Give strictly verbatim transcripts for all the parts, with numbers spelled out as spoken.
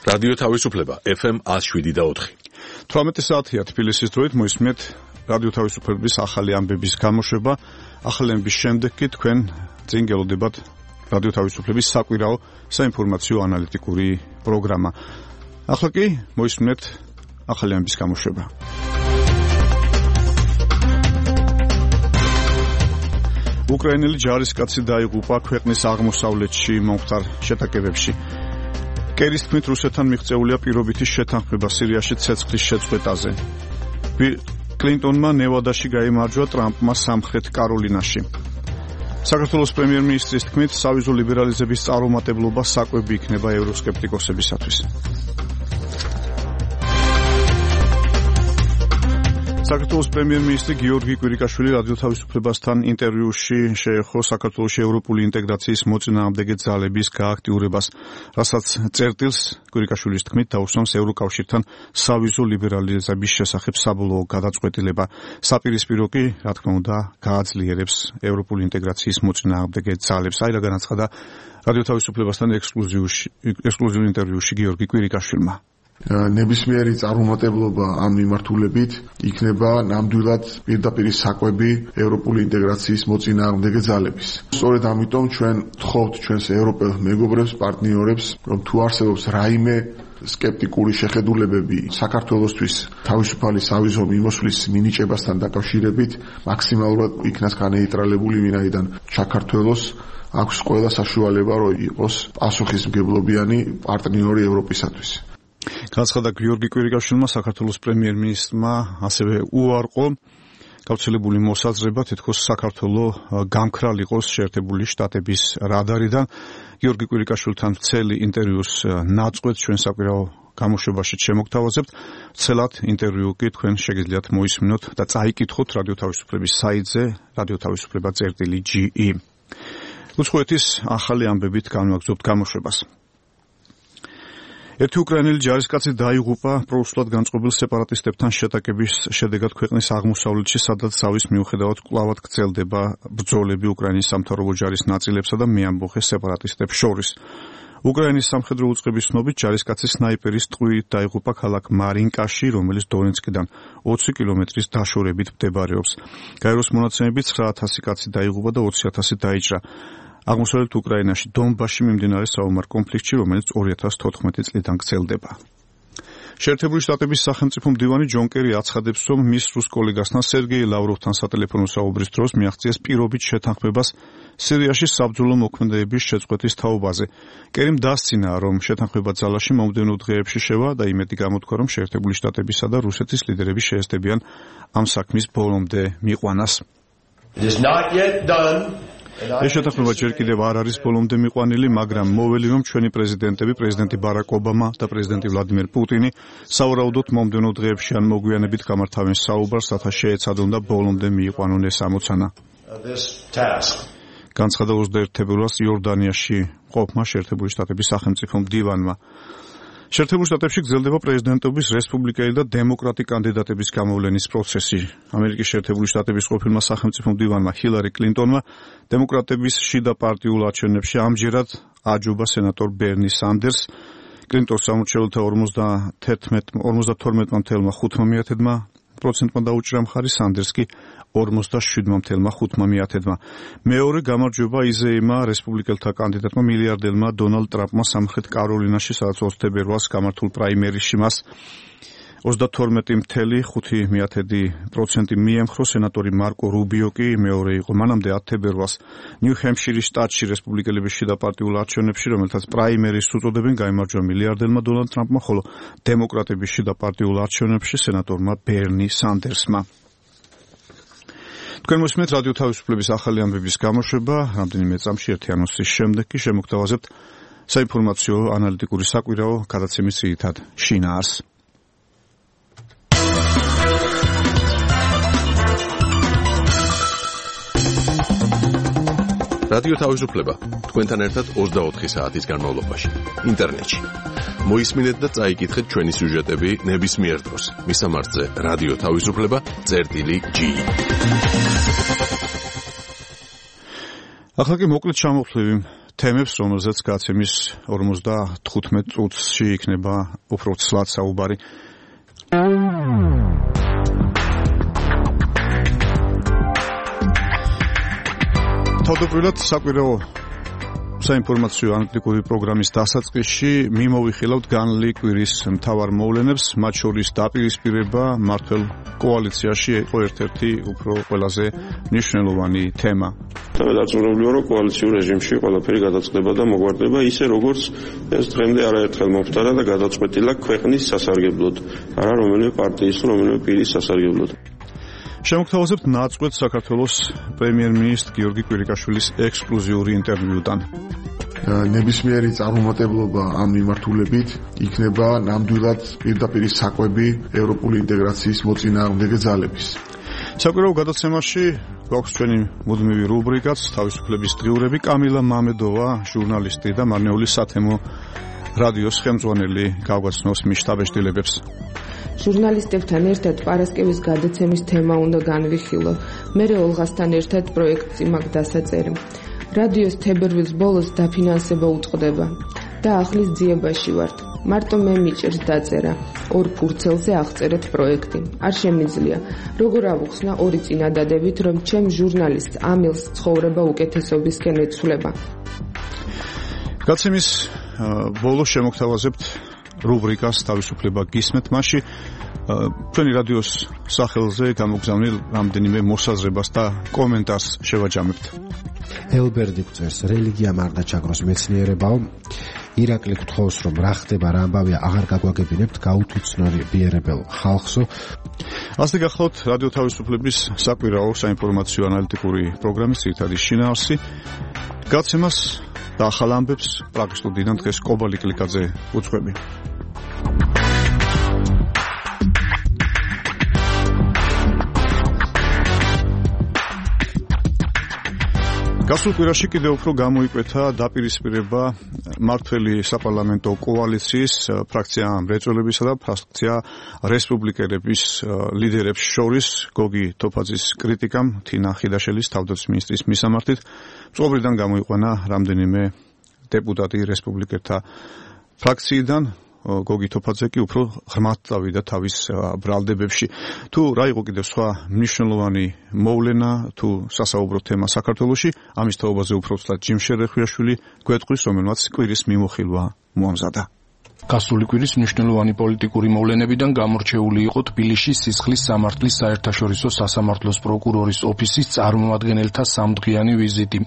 რადიო თავისუფლება ეფ ემ one oh seven და four. თვრამეტი საათია თბილისის დროით მოისმენთ რადიო თავისუფლების ახალი ამბების გამოშვება. ახალი ამბების შემდეგ კი თქვენ წინ გელოდებათ რადიო თავისუფლების საკვირაო საინფორმაციო ანალიტიკური პროგრამა. ახლა კი მოისმენთ ახალი ამბების გამოშვება. უკრაინელი ჯარისკაცი დაიღუპა ქვეყნის აღმოსავლეთში მომხდარ შეტაკებებში. კერის თქმით, რუსეთთან მიღწეულია პირობითი შეთანხმება სირიაში ცეცხლის შეწყვეტაზე. კლინტონმა ნევადაში გაიმარჯვა ტრამპმა სამხრეთ კაროლინაში. საქართველოს პრემიერ-მინისტრის თქმით, სავიზო ლიბერალიზების წარუმატებლობა საკვები იქნება ევროსკეპტიკოსებისათვის. საქართველოს პრემიერ-მინისტრი გიორგი კვირიკაშვილი რადიო თავისუფლებასთან ინტერვიუში შეეხო საქართველოს ევროპული ინტეგრაციის მოწინააღმდეგე ძალების გააქტიურებას, რასაც წერტილს კვირიკაშვილის თქმით დაუსვამს ევროკავშირთან სავიზო ლიბერალიზების შესახებ საბოლოო გადაწყვეტილება. საპირისპირო კი, რა თქმა უნდა, გააძლიერებს ევროპული ინტეგრაციის მოწინააღმდეგე ძალებს. აი რა განაცხადა რადიო თავისუფლებასთან ექსკლუზიურ ინტერვიუში გიორგი კვირიკაშვილმა. ნებისმიერი წარუმატებლობა ამ მიმართულებით იქნება ნამდვილად პირდაპირ საკვები ევროპული ინტეგრაციის მოწინააღმდეგე ძალების. სწორედ ამიტომ ჩვენ ვთხოვთ ჩვენს ევროპელ მეგობრებს, პარტნიორებს, რომ თუ არსებობს რაიმე სკეპტიკური შეხედულებები საქართველოსთვის თავისუფალი სავიზო მიმოსვლის მინიჭებასთან დაკავშირებით, მაქსიმალურად იქნას განეიტრალებული, ვინაიდან საქართველოს აქვს ყველა საშუალება, რომ იყოს პასუხისმგებლობიანი პარტნიორი ევროპისათვის. განაცხადა გიორგი კვირიკაშვილმა საქართველოს პრემიერ-მინისტრმა ასევე უარყო გავრცელებული მოსაზრება, თითქოს საქართველოს გამქრალიყოს შეერთებული შტატების რადარიდან. გიორგი კვირიკაშვილთან მთელი ინტერვიუს ნაწყვეტს ჩვენ საკვირაო გამოშვებაში შემოგთავაზებთ. ვრცელად ინტერვიუ კი თქვენ შეგიძლიათ მოისმინოთ და წაიკითხოთ რადიო თავისუფლების საიტზე რადიო თავისუფლება წერტილი ჯი ი. უცხოეთის ახალი ამბებით განვაგრძობთ გამოშვებას. ერთი უკრაინელი ჯარისკაცი დაიღუპა პროუსულად განწყობილ სეპარატისტებთან შეტაკების შედეგად ქვეყნის აღმოსავლეთში, სადაც ზავის მიუხედავად კვლავად გრძელდება ბრძოლები უკრაინის სამთავრობო ჯარის ნაწილებსა და მეამბოხე სეპარატისტებს შორის. უკრაინის სამხედრო უწყების ცნობით ჯარისკაცი სნაიპერის ტყვიით დაიღუპა ქალაქ მარინკაში, რომელიც დონეცკიდან ოცი კილომეტრის დაშორებით მდებარეობს. გაეროს მონაცემებით ცხრა ათასი კაცი დაიღუპა და ოცი ათასი დაიჭრა. აღმოსავლეთ უკრაინაში დონბასში მიმდინარე საომარ კონფლიქტში, რომელიც ორი ათას თოთხმეტი წლიდან გრძელდება. შეერთებული შტატების სახელმწიფო მდივანი ჯონ კერი აცხადებს, რომ მის რუს კოლეგასთან სერგეი ლავროვთან სატელეფონო საუბრის დროს მიაღწიეს პირობით შეთანხმებას სირიაში საბრძოლო მოქმედებების შეწყვეტის თაობაზე. კერიმ დასცინა, რომ შეთანხმება ძალაში მომდევნო დღეებში შევა და იმედი გამოთქვა, რომ შეერთებული შტატებისა და რუსეთის ლიდერები შეესწებიან ამ საქმის ბოლომდე მიყვანას. ეს შეთანხმება ჯერ კიდევ არ არის ბოლომდე მიყვანილი, მაგრამ მოველი, რომ ჩვენი პრეზიდენტები, პრეზიდენტი ბარაკ ობამა და პრეზიდენტი ვლადიმერ პუტინი სავარაუდოდ მომდევნო დღეებში ან მოგვიანებით გამართავენ საუბარს, რათა შეეცადონ და ბოლომდე მიიყვანონ ეს ამოცანა. განცხადა ოცდაერთი თებერვალს იორდანიაში მყოფმა შეერთებული შტატების სახელმწიფო მდივანმა. შეერთებულ შტატებში გრძელდება პრეზიდენტობის რესპუბლიკელი და დემოკრატი კანდიდატების გამოვლენის პროცესი. ამერიკის შეერთებული შტატების ყოფილმა სახელმწიფო მდივანმა ჰილარი კლინტონმა დემოკრატების შიდა პარტიულ არჩევნებში ამჯერად აჯობა სენატორ ბერნი სანდერს. კლინტონს სამორჩეულთა ორმოცდათორმეტ წუთმა ხუთმა პროცენტმა დაუჭრა მხარი, სანდერს კი ორმოცდაშვიდმა ხუთმა. მეორე გამარჯვება იზეიმა რესპუბლიკელთა კანდიდატმა მილიარდერმა დონალდ ტრამპმა სამხრეთ კაროლინაში, სადაც ოცი თებერვალს გამართულ პრაიმერიში მას ოცდათორმეტი წუთი ხუთი პროცენტი მიემხრო, სენატორი მარკო რუბიო კი მეორე იყო. მანამდე ათი თებერვალს ნიუ-ჰემპშირის შტატში რესპუბლიკელების შიდა პარტიულ არჩევნებში, რომელთაც პრაიმერის უწოდებენ, გაიმარჯვა მილიარდერმა დონალდ ტრამპმა, ხოლო დემოკრატების შიდა პარტიულ არჩევნებში სენატორმა ბერნი სანდერსმა. თქვენ მოსმენთ რადიო თავისუფლების ახალი ამბების გამოშვება. რამდენიმე წამში ერთი ანონსის შემდეგ კი შემოგთავაზებთ საინფორმაციო ანალიტიკური საკვირაო გადაცემის ძირითად შინაარსს. რადიო თავისუფლება თქვენთან ერთად ოცდაოთხი საათის განმავლობაში ინტერნეტში. მოისმინეთ და წაიკითხეთ ჩვენი სიუჟეტები ნებისმიერ დროს. მისამართზე რადიო თავისუფლება წერტილი ჯი ი. ახლა კი მოკლედ ჩამოვთვლივი თემებს, რომელზეც გაცემის ორმოცდათხუთმეტ წუთში იქნება უფრო ცლად საუბარი. თავდაპირველად საკვირაო საინფორმაციო ანალიტიკური პროგრამის დასაწყისში მიმოვიხილავთ განლი კვირის მთავარ მოვლენებს, მათ შორის დაპირისპირება მმართველ კოალიციაში იყო ერთ-ერთი უფრო ყველაზე მნიშვნელოვანი თემა. დაწურებულია, რომ კოალიციურ რეჟიმში ყველაფერი გადაწყდება და მოგვარდება ისე, როგორც ეს დღემდე არაერთხელ მომხდარა და გადაწყვეტილა ქვეყნის სასარგებლოდ, არა რომელიმე პარტიის, რომელიმე პირის სასარგებლოდ. შემოგთავაზებთ ნაწყვეტ საქართველოს პრემიერ-მინისტრ გიორგი კვირიკაშვილის ექსკლუზიური ინტერვიუდან. ნებისმიერი წარუმატებლობა ამ მიმართულებით იქნება ნამდვილად პირდაპირ საკვები ევროპული ინტეგრაციის მოწინააღმდეგე ძალების. საკვირაო გადაცემაში გვაქვს ჩვენი მუდმივი რუბრიკაც თავისუფლების დღიურები. კამილა მამედოვა, ჟურნალისტი და მარნეული სათემო რადიოს ხელმძღვანელი გავგაცნობს მის შთაბეჭდილებებს. ჟურნალისტებთან ერთად პარასკევის გადაცემის თემა უნდა განვიხილო. მერე ოლღასთან ერთად პროექტი მაგ დასაწერი. რადიოს თებერვლის ბოლოს დაფინანსება უწყდება და ახლის ძიებაში ვართ. მარტო მე მიჭერს დაწერა. ორ ფურცელზე აღწერეთ პროექტი. არ შემიძლია. როგორ ავუხსნა ორი წინადადებით, რომ ჩემ ჟურნალისტს ამილს ცხოვრება უკეთესობისკენ ეცვლება. გაცემის ბოლოს შემოგთავაზებთ რუბრიკას თავისუფლება გისმენთ, მასში ჩვენი რადიოს სახელზე გამოგზავნილ რამდენიმე მოსაზრებას და კომენტარს შევაჯამებთ. ელბერდი გვწერს, რელიგია მარდა ჩაგროს მეცნიერებაო. ირაკლი გთხოვს, რომ რა ხდება, რა ამბავია, აღარ გაგვაგებინებთ, გაუთუცნობიერებელ ხალხსო. ასე გახლავთ რადიო თავისუფლების საკვირაო საინფორმაციო ანალიტიკური პროგრამის ძირითადი შინაარსი. გაცემას და ახალ ამბებს პრაღის სტუდიიდან დღეს კობალი კლიკაძე უძღვები. გასულ კვირაში კიდევ უფრო გამოიკვეთა დაპირისპირება მმართველი საპარლამენტო კოალიციის ფრაქცია მრეწველებისა და ფრაქცია რესპუბლიკელების ლიდერებს შორის გოგი თოფაძის კრიტიკამ თინა ხიდაშელის თავდაცვის მინისტრის მისამართით მწყობრიდან გამოიყვანა რამდენიმე დეპუტატი რესპუბლიკელთა ფრაქციიდან. გოგი თოფაძე კი უფრო ღრმად წავიდა თავის ბრალდებებში. თუ რა იყო კიდევ სხვა მნიშვნელოვანი მოვლენა თუ სასაუბრო თემა საქართველოში, ამის თაობაზე უფრო ცლად ჯიმ შერეხვიაშვილი გვეტყვის, რომელმაც კვირის მიმოხილვა მოამზადა. გასული კვირის მნიშვნელოვანი პოლიტიკური მოვლენებიდან გამორჩეული იყო თბილისში სისხლის სამართლის საერთაშორისო სასამართლოს პროკურორის ოფისის წარმომადგენელთა სამდღიანი ვიზიტი,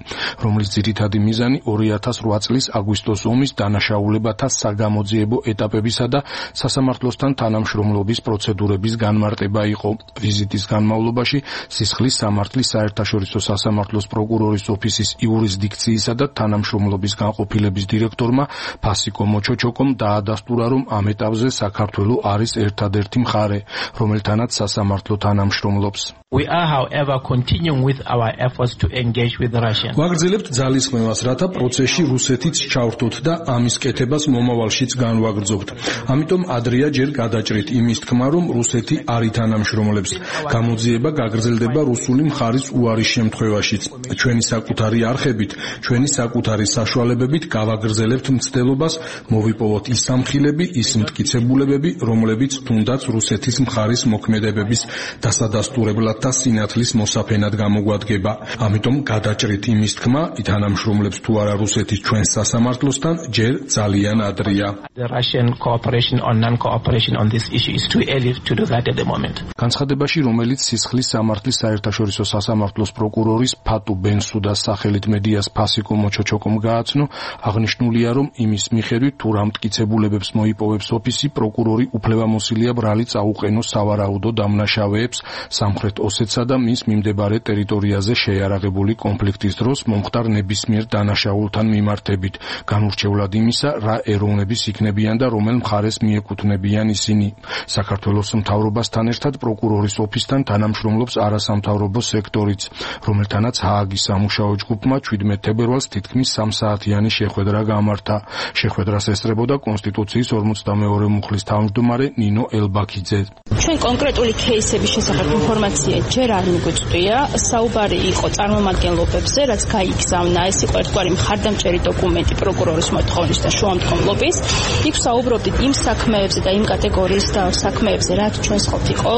რომლის ძირითადი მიზანი ორი ათას რვა წლის აგვისტოს ომის დანაშაულებათა საგამოძიებო ეტაპებისა და სასამართლოსთან თანამშრომლობის პროცედურების განმარტება იყო. ვიზიტის განმავლობაში სისხლის სამართლის საერთაშორისო სასამართლოს პროკურორის ოფისის იურისდიქციისა და თანამშრომლობის განყოფილების დირექტორმა ფასიკო მოჩოჩოკომ და დასტურა, რომ ამ ეტაპზე საქართველო არის ერთადერთი მხარე, რომელთანაც სასამართლო თანამშრომლობს. We are, however, continuing with our efforts to engage with Russia. ვაგრძელებთ ძალისხმევას, რათა პროცესში რუსეთიც ჩავრთოთ და ამის კეთებას მომავალშიც განვაგრძობთ. ამიტომ ადრეა ჯერ გადაჭრით იმის თქმა, რომ რუსეთი არ ითანამშრომლებს. გამოძიება გაგრძელდება რუსული მხარის უარის შემთხვევაშიც. ჩვენი საკუთარი არხებით, ჩვენი საკუთარი საშუალებებით გავაგრძელებთ მცდელობას, მოვიპოვოთ ის სამხილები, ის მტკიცებულებები, რომლებიც თუნდაც რუსეთის მხარის მოქმედებების დასადასტურებლად და სინათლის მოსაფენად გამოგვადგება. ამიტომ გადაჭრით იმის თქმა, ითანამშრომლებს თუ არა რუსეთის ჩვენს სასამართლოსთან, ჯერ ძალიან ადრეა. The Russian cooperation or non-cooperation on this issue is too early to do that at the moment. განცხადებაში, რომელიც სისხლის სამართლის საერთაშორისო სასამართლოს პროკურორის ფატუ ბენსუდას სახელით მედიას ფასიკო მოჩოჩოკომ გააცნო, აღნიშნულია, რომ იმის მიხედვით თუ რა მტკიცებულებებს მოიპოვებს ოფისი, პროკურორი უფლებამოსილია ბრალი წაუყენოს სავარაუდო დამნაშავეებს სამხრეთ ოსეთსა და მის მიმდებარე ტერიტორიაზე შეიარაღებული კონფლიქტის დროს მომხდარ ნებისმიერ დანაშაულთან მიმართებით, განურჩევლად იმისა, რა ეროვნების იქნებიან და რომელ მხარეს მიეკუთვნებიან ისინი. საქართველოს მთავრობასთან ერთად პროკურორის ოფისთან თანამშრომლობს არასამთავრობო სექტორიც, რომელთანაც ჰააგის სამუშაო ჯგუფმა ჩვიდმეტ თებერვალს თითქმის სამ საათიანი შეხვედრა გამართა. შეხვედრას ესწრებოდა კონსტიტუციური კონსტიტუციის ორმოცდამეორე მუხლის თავმჯდომარე ნინო ელბაქიძე. ჩვენ კონკრეტული кейსების შესახებ ინფორმაცია ჯერ არ მიგვიწვია. საუბარი იყო წარმომადგენლობებზე, რაც გაიგზავნა. ეს იყო ერთგვარი მხარდამჭერი დოკუმენტი პროკურორის მოთხოვნის და შუამდგომლობის. იქ საუბრობდით იმ საქმეებზე და იმ კატეგორიის და საქმეებზე, რაც ჩვენს ყოფ იყო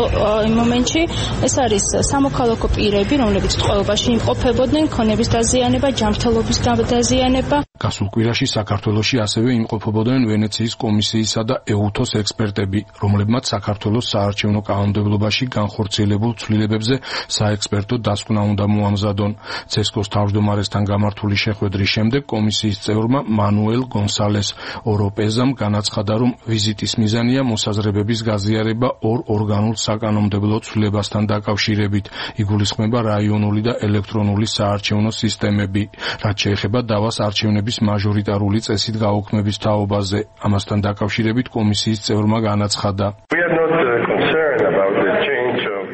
იმ მომენტში. ეს არის სამოქალაქო პირები, რომლებიც ტყვეობაში იმყოფებოდნენ, ქონების დაზიანება, ჯანმრთელობის დაზიანება. გასულ კვირაში საქართველოში ასევე იმყოფებოდნენ ვენეციის კომისიისა და ეუთოს ექსპერტები, რომლებმაც საქართველოს საარჩევნო კანონმდებლობაში განხორციელებულ ცვლილებებზე საექსპერტო დასკვნა უნდა მოამზადონ. ცესკოს თავმჯდომარესთან გამართული შეხვედრის შემდეგ კომისიის წევრმა მანუელ გონსალეს ოროპეზამ განაცხადა, რომ ვიზიტის მიზანია მოსაზრებების გაზიარება ორ ორგანულ საკანონმდებლო ცვლილებასთან დაკავშირებით. იგულისხმება რაიონული და ელექტრონული საარჩევნო სისტემები, რაც შეეხება დავას არჩევნების მაჟორიტარული წესით გაუქმების თაობაზე. ამასთან დაკავშირებით კომისიის წევრმა განაცხადა.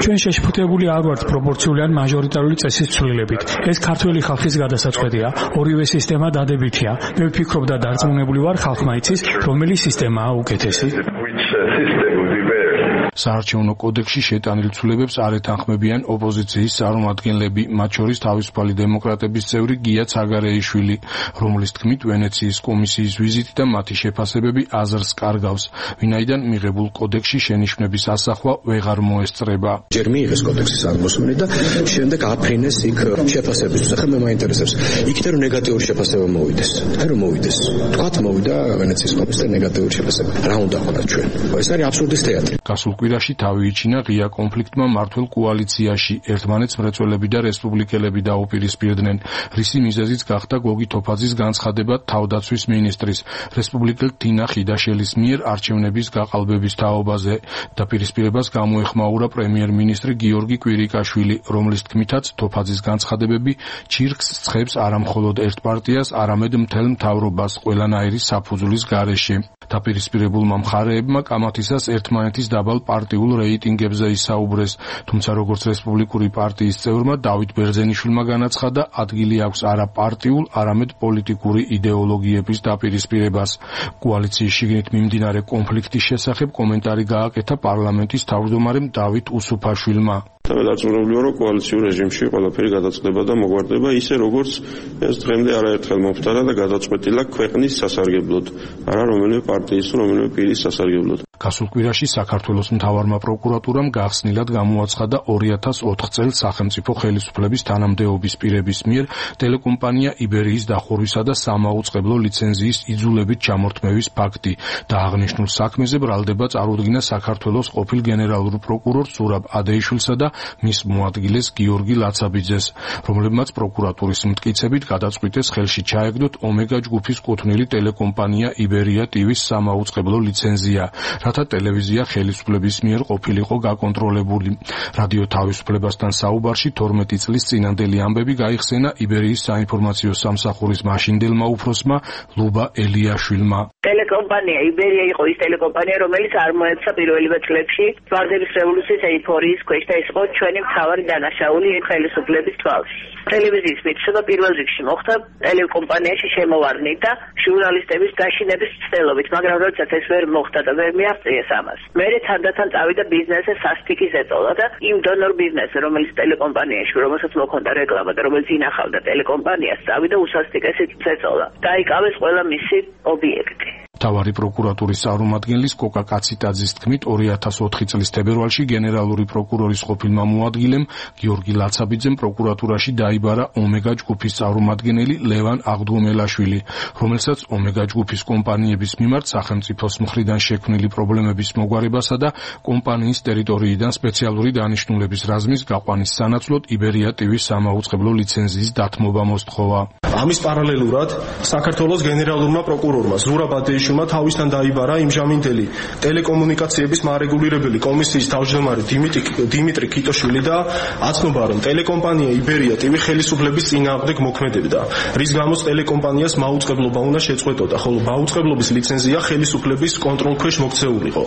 ჩვენ შეშფოთებული არ ვართ პროპორციული ან მაჟორიტარული წესის ცვლილებით. ეს ქართველი ხალხის გადასაწყვეტია. ორივე სისტემა დადებითია. მე ვფიქრობ და დარწმუნებული ვარ, ხალხმა იცის, რომელი სისტემაა უკეთესი. საარჩევნო კოდექსში შეტანილ ცვლილებებს არ ეთანხმებიან ოპოზიციის წარმომადგენლები, მათ შორის თავისუფალი დემოკრატების წევრი გია ცაგარეიშვილი, რომლის თქმით ვენეციის კომისიის ვიზიტი და მათი შეფასებები აზრს კარგავს, ვინაიდან მიღებულ კოდექსში შენიშვნების ასახვა ვეღარ მოესწრება. ჯერ მიიღეს კოდექსის აღმოსვენი და შემდეგ აფრინეს იქ შეფასების შესახებ. მე მაინტერესებს, იქით რომ ნეგატიური შეფასება მოვიდეს. აი რომ მოვიდეს. თქვათ მოვიდა ვენეციის კომისიის ნეგატიური შეფასება. რა უნდა ვქონათ ჩვენ? ეს არის აბსურდის თეატრი. გასულ კვირაში თავი იჩინა ღია კონფლიქტმა მართლ კოალიციაში. ერთმანეთს მრეწველები და რესპუბლიკელები დაუპირისპირდნენ, რისი მიზეზიც გახდა გოგი თოფაძის განცხადება თავდაცვის მინისტრის, რესპუბლიკელ თინა ხიდაშელის მიერ არჩევნების გაყალბების თაობაზე. დაპირისპირებას გამოეხმაურა პრემიერ-მინისტრი გიორგი კვირიკაშვილი, რომლის თქმითაც თოფაძის განცხადებები ჩირკს ცხებს არამხოლოდ ერთ პარტიას, არამედ მთელ მთავრობას ყველანაირი საფუძვლის გარეშე. დაპირისპირებულმა მხარეებმა კამათისას ერთმანეთის დაბალ პარტიულ რეიტინგებზე ისაუბრეს, თუმცა როგორც რესპუბლიკური პარტიის წევრმა დავით ბერძენიშვილმა განაცხადა, ადგილი აქვს არა პარტიულ, არამედ პოლიტიკური იდეოლოგიების დაპირისპირებას. კოალიციის შიგნით მიმდინარე კონფლიქტის შესახებ კომენტარი გააკეთა პარლამენტის თავმჯდომარემ დავით უსუფაშვილმა. და დარწმუნებული ვარ, რომ კოალიციურ რეჟიმში ყველაფერი გადაწყდება და მოგვარდება ისე, როგორც ეს დღემდე არაერთხელ მომხდარა და გადაწყვეტილა ქვეყნის სასარგებლოდ, არა რომელიმე პარტიის, რომელიმე პირის სასარგებლოდ. გასულ კვირაში საქართველოს მთავარმა პროკურატურამ გახსნილად გამოაცხადა ორი ათას ოთხ წელს სახელმწიფო ხელისუფლების თანამდებობის პირების მიერ ტელეკომპანია იბერიის დახურვისა და სამაუწყებლო ლიცენზიის იძულებით ჩამორთმევის ფაქტი და აღნიშნულ საქმეზე ბრალდება წარუდგინა საქართველოს ყოფილ გენერალურ პროკურორ ზურაბ ადეიშვილსა და მის მოადგილეს გიორგი ლაცაბიძეს, რომლებმაც პროკურატურის მტკიცებით გადაწყვიტეს ხელში ჩაეგდოთ ომეგა ჯგუფის კუთვნილი ტელეკომპანია იბერია ტივის სამაუწყებლო ლიცენზია, რათა ტელევიზია ხელისუფლების მიერ ყოფილიყო გაკონტროლებული. რადიო თავისუფლებასთან საუბარში თორმეტი წლის წინანდელი ამბები გაიხსენა იბერიის საინფორმაციო სამსახურის მაშინდელმა უფროსმა ლუბა ელიაშვილმა. ტელეკომპანია იბერია იყო ის ტელეკომპანია, რომელიც არ მოეცა პირველივე წლებში ვარდების რევოლუციის ეიფორიის ქვეშ და ეს იყო ჩვენი მთავარი დანაშაული ხელისუფლების თვალში. ტელევიზიის მითხრება პირველ რიგში მოხდა ტელეკომპანიაში შემოვარდნით და ჟურნალისტების გაშინების ცდელობით, მაგრამ როდესაც ეს ვერ მოხდა და ვერ მიაღწიეს ამას, მერე თანდათან წავიდა ბიზნესზე სასტიკი ზეწოლა და იმ დონორ ბიზნესზე, რომელიც ტელეკომპანიაში, რომელსაც მოქონდა რეკლამა და რომელიც ინახავდა ტელეკომპანიას, წავიდა უსასტიკესი ზეწოლა. დაიკავეს ყველა მისი ობიექტი. მთავარი პროკურატურის წარმომადგენლის კოკა კაციტაძის თქმით, ორი ათას ოთხი წლის თებერვალში გენერალური პროკურორის ყოფილმა მოადგილემ გიორგი ლაცაბიძემ პროკურატურაში დაიბარა ომეგა ჯგუფის წარმომადგენელი ლევან აღდგომელაშვილი, რომელსაც ომეგა ჯგუფის კომპანიების მიმართ სახელმწიფოს მხრიდან შექმნილი პრობლემების მოგვარებასა და კომპანიის ტერიტორიიდან სპეციალური დანიშნულების რაზმის გაყვანის სანაცვლოდ იბერია ტივის სამაუწყებლო ლიცენზიის დათმობა მოსთხოვა. ამის პარალელურად საქართველოს გენერალურმა პროკურორმა ზურაბ ადეიშვილმა თავისთან დაიბარა იმჟამინდელი ტელეკომუნიკაციების მარეგულირებელი კომისიის თავმჯდომარე დიმიტრი ქიტოშვილი და აცნობა, რომ ტელეკომპანია იბერია ტივი ხელისუფლების წინააღმდეგ მოქმედებდა, რის გამოც ტელეკომპანიას მაუწყებლობა უნდა შეწყვეტოდა, ხოლო მაუწყებლობის ლიცენზია ხელისუფლების კონტროლქვეშ მოქცეულიყო.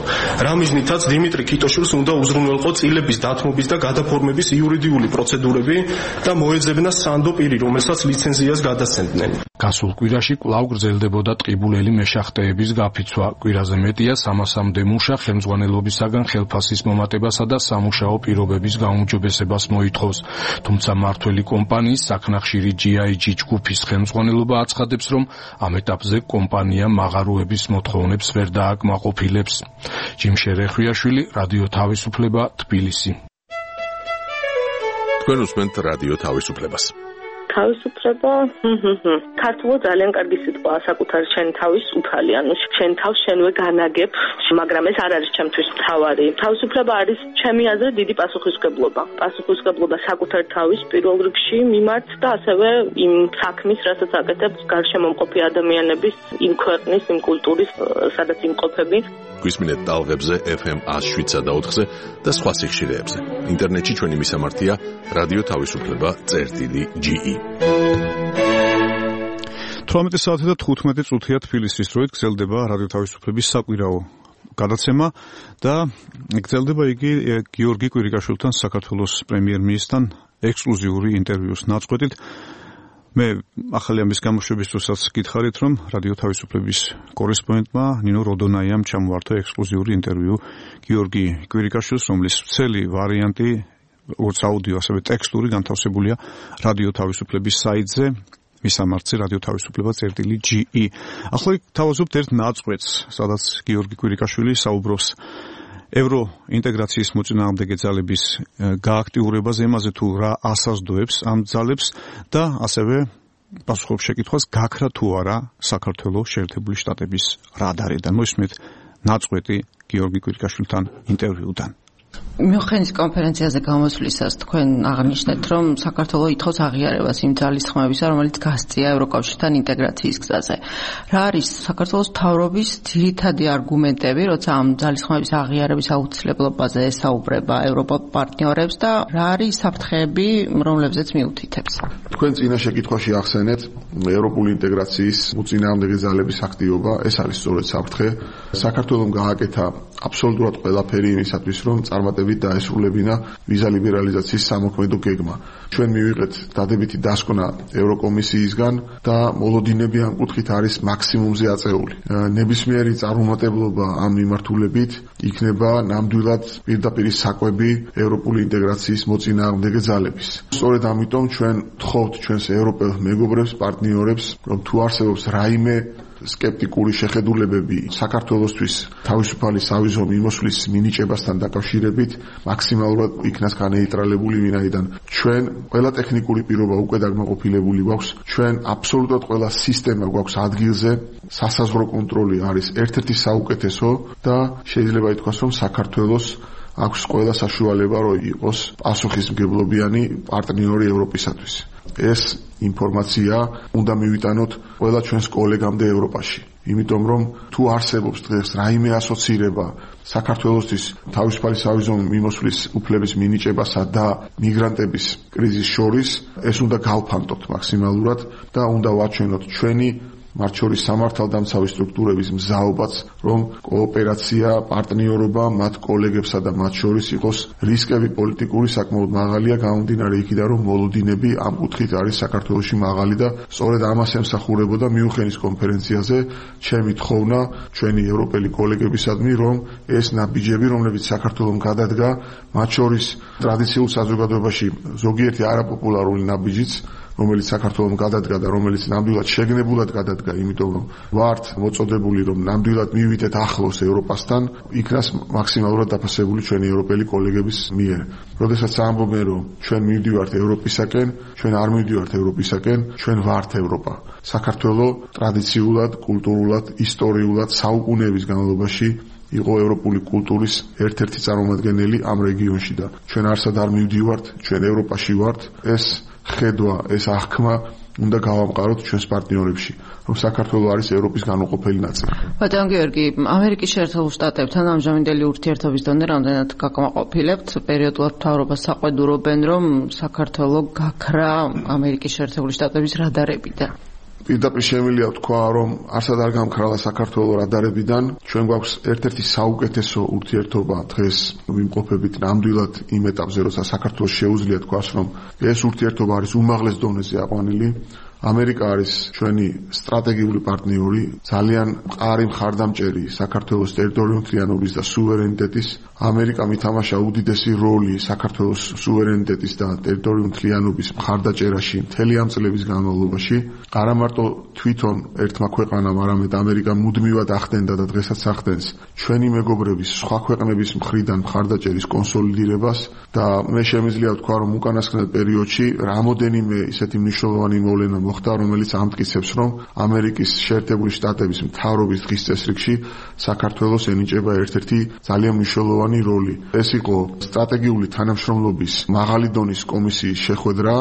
რა მიზნითაც დიმიტრი ქიტოშვილს უნდა უზრუნველყო წილების დათმობის და გადაფორმების იურიდიული პროცედურები და მოეძებნა სანდო პირი, რომელსაც ლიცენზიას გადასცემდნენ. გასულ კვირაში კვლავ გრძელდებოდა ტყიბულელი მეშახტეები. ოპერაციების გაფიცვა. კვირაზე მეტია სამასამდე მუშა ხელმძღვანელობისაგან ხელფასის მომატებასა და სამუშაო პირობების გაუმჯობესებას მოითხოვს. თუმცა მართველი კომპანიის საქნახშირი ჯი აი ჯი ჯგუფის ხელმძღვანელობა აცხადებს, რომ ამ ეტაპზე კომპანია მაღაროების მოთხოვნებს ვერ დააკმაყოფილებს. ჯიმშე რეხვიაშვილი, რადიო თავისუფლება, თბილისი. თქვენ უსმენთ რადიო თავისუფლებას. თავისუფლება, ქართულად ძალიან კარგი სიტყვაა საკუთარი შენი თავის უფალი, ანუ შენ თავს შენვე განაგებ, მაგრამ ეს არ არის ჩემთვის მთავარი. თავისუფლება არის ჩემი აზრით დიდი პასუხისმგებლობა. პასუხისმგებლობა საკუთარ თავის პირველ რიგში მიმართ და ასევე იმ საქმის, რასაც აკეთებს გარშემომყოფი ადამიანების, იმ ქვეყნის, იმ კულტურის, სადაც იმყოფები. გვისმინეთ ტალღებზე ეფ ემ ათს შვიდსა და ოთხზე და სხვა სიხშირეებზე. ინტერნეტში ჩვენი მისამართია რადიო თავისუფლება წერტილი ჯი ი. თვრამეტი საათი და თხუთმეტი წუთია თბილისის დროით გრძელდება რადიო თავისუფლების საკვირაო გადაცემა და გრძელდება იგი გიორგი კვირიკაშვილთან, საქართველოს პრემიერ-მინისტრთან ექსკლუზიური ინტერვიუს ნაწყვეტით. მე ახალი ამის გამოშვების დროსაც გითხარით, რომ რადიო თავისუფლების კორესპონდენტმა ნინო როდონაიამ ჩამოართვა ექსკლუზიური ინტერვიუ გიორგი კვირიკაშვილს, რომლის მთელი ვარიანტი როგორც აუდიო, ასევე ტექსტური განთავსებულია რადიო თავისუფლების საიტზე, მისამართზე რადიო თავისუფლება წერტილი ჯი ი. ახლა თავაზობთ ერთ ნაწყვეტს, სადაც გიორგი კვირიკაშვილი საუბრობს ევროინტეგრაციის მოწინააღმდეგე ძალების გააქტიურებაზე, იმაზე თუ რა ასაზრდოებს ამ ძალებს და ასევე პასუხობს შეკითხვას, გაქრა თუ არა საქართველოს შეერთებული შტატების რადარიდან. მოისმენთ ნაწყვეტი გიორგი კვირიკაშვილთან ინტერვიუდან. მიუხედავად კონფერენციაზე გამოსვლისას თქვენ აღნიშნეთ, რომ საქართველოს ითხოვს აღიარებას იმ ძალისხმევისა, რომელიც გასწია ევროკავშირთან ინტეგრაციის გზაზე. რა არის საქართველოს მთავრობის ძირითადი არგუმენტები, როცა ამ ძალისხმების აღიარების აუცილებლობაზე ესაუბრება ევროპულ პარტნიორებს და რა არის საფრთხეები, რომლებზეც მიუთითებს? თქვენ წინა შეკითხვაში ახსენეთ ევროპული ინტეგრაციის მოწინააღმდეგე ძალების აქტივობა, ეს არის სწორედ საფრთხე. საქართველოს გააკეთა აბსოლუტურად ყველაფერი იმისათვის, რომ წარმატებით დაესრულებინა ვიზა ლიბერალიზაციის სამოქმედო გეგმა. ჩვენ მივიღეთ დადებითი დასკვნა ევროკომისიისგან და მოლოდინები ამ კუთხით არის მაქსიმუმზე აწეული. ნებისმიერი წარმომადგენლობა ამ მიმართულებით იქნება ნამდვილად პირდაპირ საკვები ევროპული ინტეგრაციის მოწინააღმდეგე ძალების. სწორედ ამიტომ ჩვენ ვთხოვთ ჩვენს ევროპელ მეგობრებს, პარტნიორებს, რომ თუ არსებობს რაიმე სკეპტიკური შეხედულებები საქართველოსთვის თავისუფალი სავიზო მიმოსვლის მინიჭებასთან დაკავშირებით, მაქსიმალურად იქნას განეიტრალებული, ვინაიდან ჩვენ ყველა ტექნიკური პირობა უკვე დაკმაყოფილებული გვაქვს, ჩვენ აბსოლუტურად ყველა სისტემა გვაქვს ადგილზე, სასაზღვრო კონტროლი არის ერთ-ერთი საუკეთესო და შეიძლება ითქვას, რომ საქართველოს აქვს ყველა საშუალება, რომ იყოს პასუხისმგებლობიანი პარტნიორი ევროპისათვის. ეს ინფორმაცია უნდა მივიტანოთ ყველა ჩვენს კოლეგამდე ევროპაში. იმიტომ რომ თუ არსებობს დღეს რაიმე ასოცირება საქართველოსთვის თავისუფალი სავიზო მიმოსვლის უფლების მინიჭებასა და მიგრანტების კრიზისის შორის, ეს უნდა გავფანტოთ მაქსიმალურად და უნდა ვაჩვენოთ ჩვენი მათ შორის სამართალდამცავი სტრუქტურების მზაობაც, რომ კოოპერაცია, პარტნიორობა მათ კოლეგებსა და მათ შორის იყოს რისკები პოლიტიკური საკმაოდ მაღალია, გამომდინარე იქიდან, რომ მოლოდინები ამ კუთხით არის საქართველოში მაღალი და სწორედ ამას ემსახურებოდა მიუნხენის კონფერენციაზე ჩემი თხოვნა ჩვენი ევროპელი კოლეგებისადმი, რომ ეს ნაბიჯები, რომლებიც საქართველოს გადადგა, მათ შორის ტრადიციულ საზოგადოებაში ზოგიერთი არაპოპულარული ნაბიჯიც, რომელიც საქართველოს გადადგა და რომელიც ნამდვილად შეგნებულად გადადგა, იმიტომ რომ ვართ მოწოდებული, რომ ნამდვილად მივიდეთ ახლოს ევროპასთან, იქნას მაქსიმალურად დაფასებული ჩვენი ევროპელი კოლეგების მიერ. როდესაც ამბობენ, რომ ჩვენ მივდივართ ევროპისაკენ, ჩვენ არ მივდივართ ევროპისაკენ, ჩვენ ვართ ევროპა. საქართველოს ტრადიციულად, კულტურულად, ისტორიულად საუკუნეების განმავლობაში იყო ევროპული კულტურის ერთ-ერთი წარმომადგენელი ამ რეგიონში და ჩვენ არსად არ მივდივართ, ჩვენ ევროპაში ვართ. ეს ხედვა, ეს აღქმა უნდა გავამყაროთ ჩვენს პარტნიორებში, რომ საქართველოს არის ევროპის განუყოფელი ნაწილი. ბატონ გიორგი, ამერიკის შეერთებულ შტატებთან ამჟამინდელი ურთიერთობის დონე რამდენად გაკმაყოფილებთ? პერიოდულად მთავრობას საყვედურობენ, რომ საქართველოს გაქრა ამერიკის შეერთებული შტატების რადარებიდან. პირდაპირ შემიძლია ვთქვა, რომ არსად არ გამქრალა საქართველოს რადარებიდან. ჩვენ გვაქვს ერთ-ერთი საუკეთესო ურთიერთობა დღეს ვიმყოფებით ნამდვილად იმ ეტაპზე, როცა საქართველოს შეუძლია თქვას, რომ ეს ურთიერთობა არის უმაღლეს დონეზე აყვანილი. ამერიკა არის ჩვენი სტრატეგიული პარტნიორი, ძალიან მყარი მხარდამჭერი საქართველოს ტერიტორიულთლიანობის და სუვერენიტეტის. ამერიკამ ითამაშა უდიდესი როლი საქართველოს სუვერენიტეტის და ტერიტორიულთლიანობის მხარდაჭერაში მთელი ამ წლების განმავლობაში. არა მარტო თვითონ ერთმა ქვეყანამ, არამედ ამერიკამ მუდმივად ახდენდა და დღესაც ახდენს ჩვენი მეგობრების სხვა ქვეყნების მხრიდან მხარდაჭერის კონსოლიდირებას და მე შემიძლია ვთქვა, რომ უკანასკნელ პერიოდში რამოდენიმე ისეთი მნიშვნელოვანი მოვლენა მოხდა, რომელიც ამტკიცებს, რომ ამერიკის შეერთებული შტატების მთავრობის დღის წესრიგში საქართველოს ენიჭება ერთ-ერთი ძალიან მნიშვნელოვანი როლი. ეს იყო სტრატეგიული თანამშრომლობის მაღალი დონის კომისიის შეხვედრა,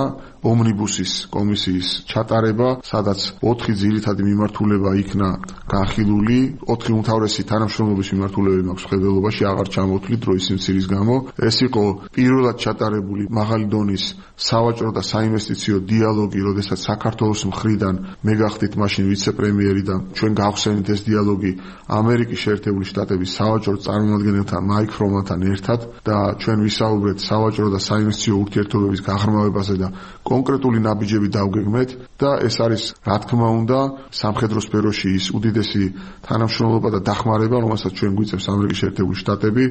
ომნიბუსის კომისიის ჩატარება, სადაც ოთხი ძირითადი მიმართულება იქნა განხილული, ოთხი უმთავრესი თანამშრომლობის მიმართულებები მაქვს ხედელობაში, აღარ ჩამოვთვლით დროის სიმცირის გამო. ეს იყო პირველად ჩატარებული მაღალი დონის სავაჭრო და საინვესტიციო დიალოგი, როდესაც საქართველოს მხრიდან მე გახდით მაშინ ვიცე-პრემიერი და ჩვენ გავხსენით ეს დიალოგი ამერიკის შეერთებული შტატების სავაჭრო წარმომადგენელთან მაიკ ფრომანთან ერთად და ჩვენ ვისაუბრეთ სავაჭრო და საინვესტიციო ურთიერთობების გაღრმავებაზე და კონკრეტული ნაბიჯები დავგეგმეთ და ეს არის რა თქმა უნდა სამხედრო სფეროში ის უდიდესი თანამშრომლობა და დახმარება, რომელსაც ჩვენ გვიწევს ამერიკის შეერთებული შტატები.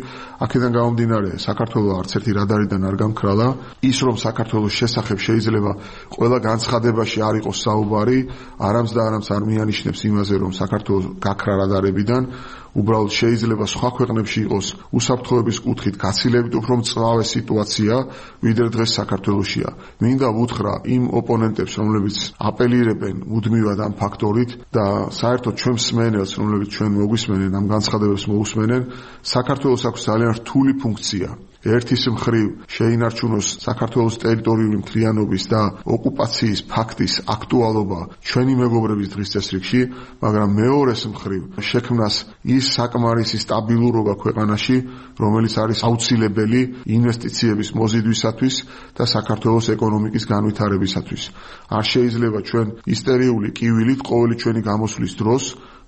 აქედან გამომდინარე, საქართველოს არც ერთი რადარიდან არ გამქრალა. ის რომ საქართველოს შესახებ შეიძლება ყველა განცხადებაში არ იყოს საუბარი, არამც და არამც არ მიანიშნებს იმაზე, რომ საქართველოს გაქრა რადარებიდან. უბრალოდ შეიძლება სხვა ქვეყნებში იყოს უსაფრთხოების კუთხით გაცილებით უფრო მწვავე სიტუაცია, ვიდრე დღეს საქართველოსია. მინდა ვუთხრა იმ ოპონენტებს, რომლებიც აპელირებენ მუდმივად ამ ფაქტორით და საერთოდ ჩვენ მსმენელს, რომლებიც ჩვენ მოგვისმენენ, ამ განცხადებებს მოусმენენ, საქართველოს აქვს ძალიან რთული ფუნქცია. ერთის მხრივ შეინარჩუნოს საქართველოს ტერიტორიული მთლიანობის და ოკუპაციის ფაქტის აქტუალობა ჩვენი მეგობრების დღის წესრიგში, მაგრამ მეორეს მხრივ შექმნას ის საკმარისი სტაბილურობა ქვეყანაში, რომელიც არის აუცილებელი ინვესტიციების მოზიდვისათვის და საქართველოს ეკონომიკის განვითარებისათვის. არ შეიძლება ჩვენ ისტერიული კივილით ყოველი ჩვენი გამოსვლის დროს,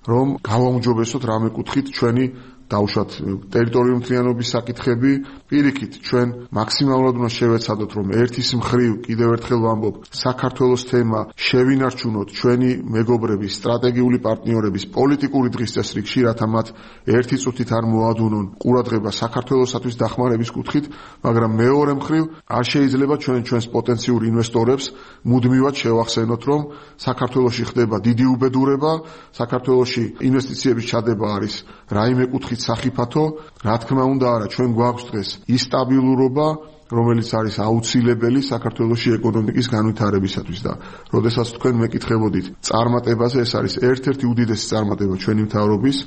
რომ გავაუმჯობესოთ რამე კუთხით ჩვენი დავუშვათ ტერიტორიული მთლიანობის საკითხები, პირიქით ჩვენ მაქსიმალურად უნდა შევეცადოთ, რომ ერთის მხრივ კიდევ ერთხელ ვამბობ, საქართველოს თემა შევინარჩუნოთ ჩვენი მეგობრების, სტრატეგიული პარტნიორების პოლიტიკური დღის წესრიგში, რათა მათ ერთი წუთით არ მოადუნონ ყურადღება საქართველოსათვის დახმარების კუთხით, მაგრამ მეორე მხრივ არ შეიძლება ჩვენ ჩვენს პოტენციურ ინვესტორებს მუდმივად შევახსენოთ, რომ საქართველოში ხდება დიდი უბედურება, საქართველოში ინვესტიციების ჩადება არის რაიმე კუთხით სახიფათო, რა თქმა უნდა არა, ჩვენ გვაქვს დღეს ის სტაბილურობა, რომელიც არის აუცილებელი საქართველოში ეკონომიკის განვითარებისათვის და როდესაც თქვენ მეკითხებოდით წარმატებაზე, ეს არის ერთ-ერთი უდიდესი წარმატება ჩვენი მთავრობის,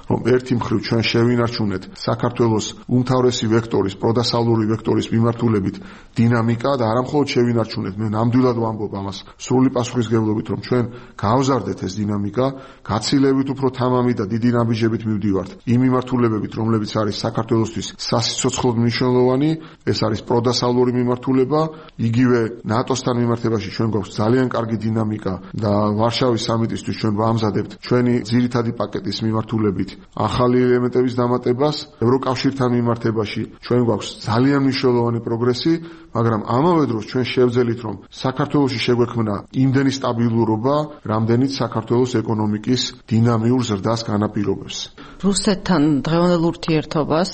რომ ერთი მხრივ ჩვენ შევინარჩუნეთ საქართველოს უმთავრესი ვექტორის, პროდასავლური ვექტორის მიმართულებით დინამიკა და არა მხოლოდ შევინარჩუნეთ, მე ნამდვილად ვამბობ ამას სრული პასუხისმგებლობით, რომ ჩვენ გავზარდეთ ეს დინამიკა, გაცილებით უფრო თამამი და დიდი ნაბიჯებით მივდივართ იმ მიმართულებებით, რომლებიც არის საქართველოსთვის სასიცოცხლოდ მნიშვნელოვანი, ეს არის დასავლური მიმართულება, იგივე ნატოსთან მიმართებაში ჩვენ გვაქვს ძალიან კარგი დინამიკა და ვარშავის სამიტისთვის ჩვენ ვამზადებთ ჩვენი ძირითადი პაკეტის მიმართულებით ახალი ელემენტების დამატებას, ევროკავშირთან მიმართებაში ჩვენ გვაქვს ძალიან მნიშვნელოვანი პროგრესი, მაგრამ ამავე დროს ჩვენ შევძელით, რომ საქართველოში შეგვექმნა იმდენი სტაბილურობა, რამდენიც საქართველოს ეკონომიკის დინამიურ ზრდას განაპირობებს. რუსეთთან დღევანდელ ურთიერთობას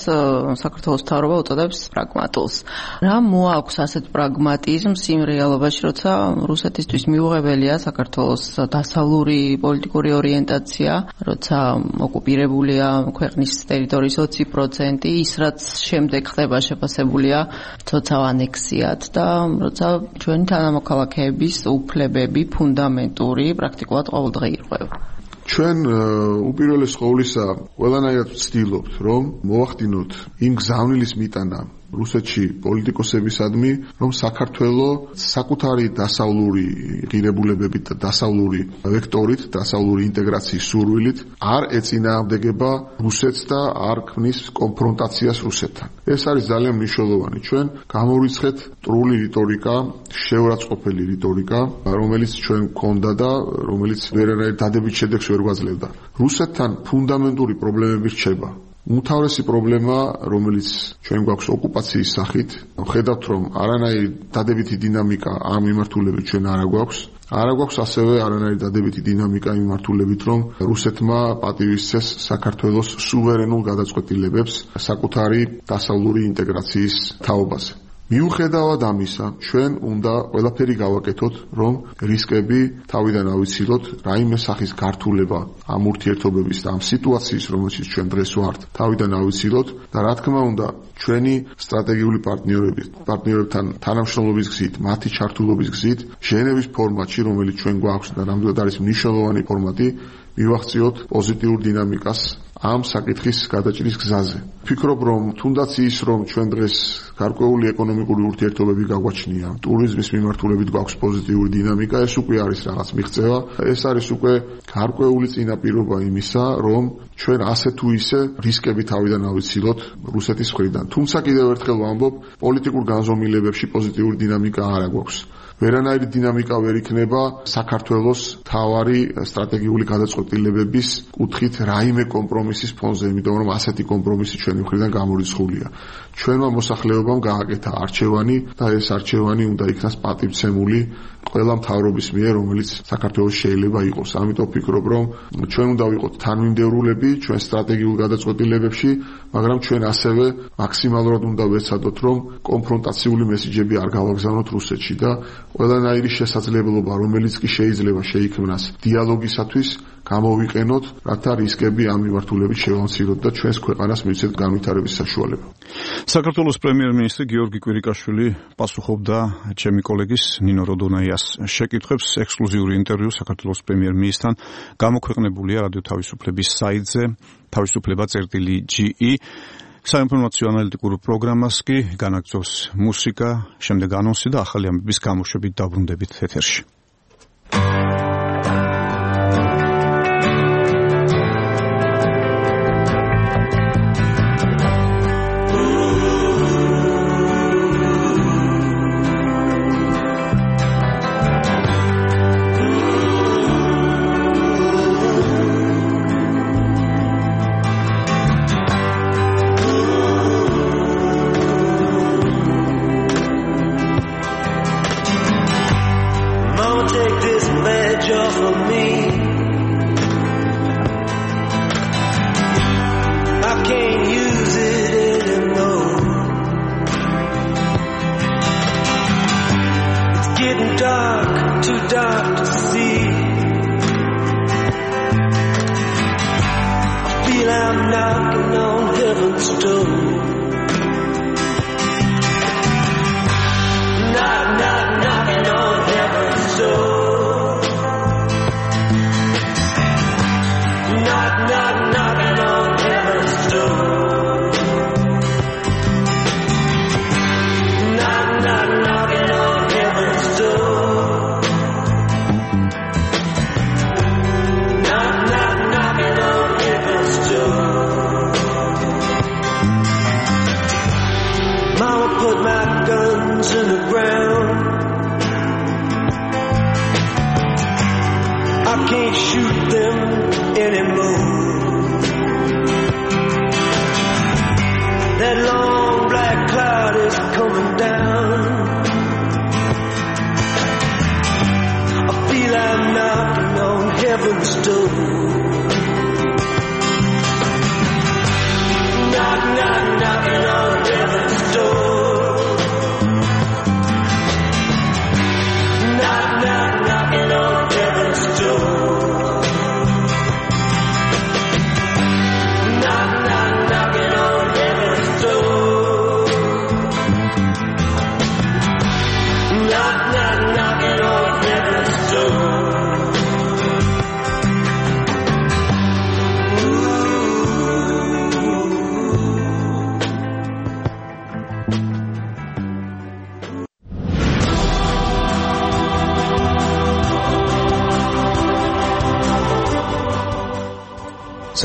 საქართველოს მთავრობა უწოდებს პრაგმატულს. რა მოაქვს ასეთ პრაგმატიზმს იმ რეალობაში, როცა რუსეთისთვის მიუღებელია საქართველოს დასავლური პოლიტიკური ორიენტაცია, როცა ოკუპირებულია ქვეყნის ტერიტორიის ოცი პროცენტი, ის რაც შემდეგ ხდება შეფასებულია ცოცხალ ანექსიად და როცა ჩვენი თანამოქალაქეების უფლებები ფუნდამენტური პრაქტიკულად ყოველდღე ირღვევა. ჩვენ უპირველეს ყოვლისა ყველანაირად ვცდილობთ, რომ მოვახდინოთ იმ გზავნილის მიტანა რუსეთში პოლიტიკოსებისადმი, რომ საქართველოს საკუთარი დასავლური ღირებულებებით და დასავლური ვექტორით, დასავლური ინტეგრაციის სურვილით არ ეწინააღმდეგება რუსეთს და არ ქმნის კონფრონტაციას რუსეთთან. ეს არის ძალიან მნიშვნელოვანი. ჩვენ გამოვიცხეთ ტრული რიტორიკა, შეურაცხყოფელი რიტორიკა, რომელიც ჩვენ გქონდა და რომელიც ვერანაირ დადებით შედეგს ვერ გვაძლევდა. რუსეთთან ფუნდამენტური პრობლემები რჩება. უმთავრესი პრობლემა, რომელიც ჩვენ გვაქვს ოკუპაციის სახით, ხედავთ, რომ არანაირი დადებითი დინამიკა ამ მიმართულებით ჩვენ არ გვაქვს. არა გვაქვს ასევე არანაირი დადებითი დინამიკა იმ მიმართულებით, რომ რუსეთმა პატივისცეს საქართველოს სუვერენულ გადაწყვეტილებებს საკუთარი დასავლური ინტეგრაციის თაობაზე. მიუხედავად ამისა, ჩვენ უნდა ყველაფერი გავაკეთოთ, რომ რისკები თავიდან ავიცილოთ, რაიმე სახის გართულება ამ ურთიერთობების და ამ სიტუაციის, რომელშიც ჩვენ დღეს ვართ, თავიდან ავიცილოთ და რა თქმა უნდა, ჩვენი სტრატეგიული პარტნიორები, პარტნიორებთან თანამშრომლობის გზით, მათი ჩართულობის გზით, ჟენევის ფორმატში, რომელიც ჩვენ გვაქვს და ნამდვილად არის მნიშვნელოვანი ფორმატი, მივახციოთ პოზიტიურ დინამიკას ამ საკითხის გადაჭრის გზაზე. ვფიქრობ, რომ თუნდაც ის, რომ ჩვენ დღეს გარკვეული ეკონომიკური ურთიერთობები გაგვაჩნია, ტურიზმის მიმართულებით გვაქვს პოზიტიური დინამიკა, ეს უკვე არის რაღაც მიღწევა, ეს არის უკვე გარკვეული წინაპირობა იმისა, რომ ჩვენ ასე თუ ისე რისკები თავიდან ავიცილოთ რუსეთის მხრიდან. თუმცა კიდევ ერთხელ ვამბობ, პოლიტიკურ განზომილებებში პოზიტიური დინამიკა არ აგვაქვს. ვერანაირი დინამიკა ვერ იქნება საქართველოს თავარი სტრატეგიული გადაწყვეტილებების კუთხით რაიმე კომპრომისის ფონზე, იმიტომ რომ ასეთი კომპრომისი ჩვენი მხრიდან გამორიცხულია. ჩვენმა მოსახლეობამ გააკეთა არჩევანი და ეს არჩევანი უნდა იქნას პატივცემული ყველა მთავრობის მიერ, რომელიც საქართველოს შეიძლება იყოს. ამიტომ ვფიქრობ, რომ ჩვენ უნდა ვიყოთ თანმიმდევრულები ჩვენ სტრატეგიულ გადაწყვეტილებებში, მაგრამ ჩვენ ასევე მაქსიმალურად უნდა ვეცადოთ, რომ კონფრონტაციული მესიჯები არ გავაგზავნოთ რუსეთში და ყველანაირი შესაძლებლობა, რომელიც კი შეიძლება შეიქმნას დიალოგისათვის, გამოვიყენოთ, რათა რისკები ამ მიმართულებით შევამციროთ და ჩვენს ქვეყანას მივცეთ განვითარების საშუალება. საქართველოს პრემიერ-მინისტრი გიორგი კვირიკაშვილი პასუხობდა ჩემი კოლეგის ნინო როდონაიას შეკითხვებს. ექსკლუზიური ინტერვიუ საქართველოს პრემიერ-მინისტრთან გამოქვეყნებულია რადიო თავისუფლების საიტზე თავისუფლება წერტილი ჯი ი. საინფორმაციო ანალიტიკურ პროგრამას კი განაგრძობს მუსიკა, შემდეგ ანონსი და ახალი ამბების გამოშვებით დაბრუნდებით ეთერში.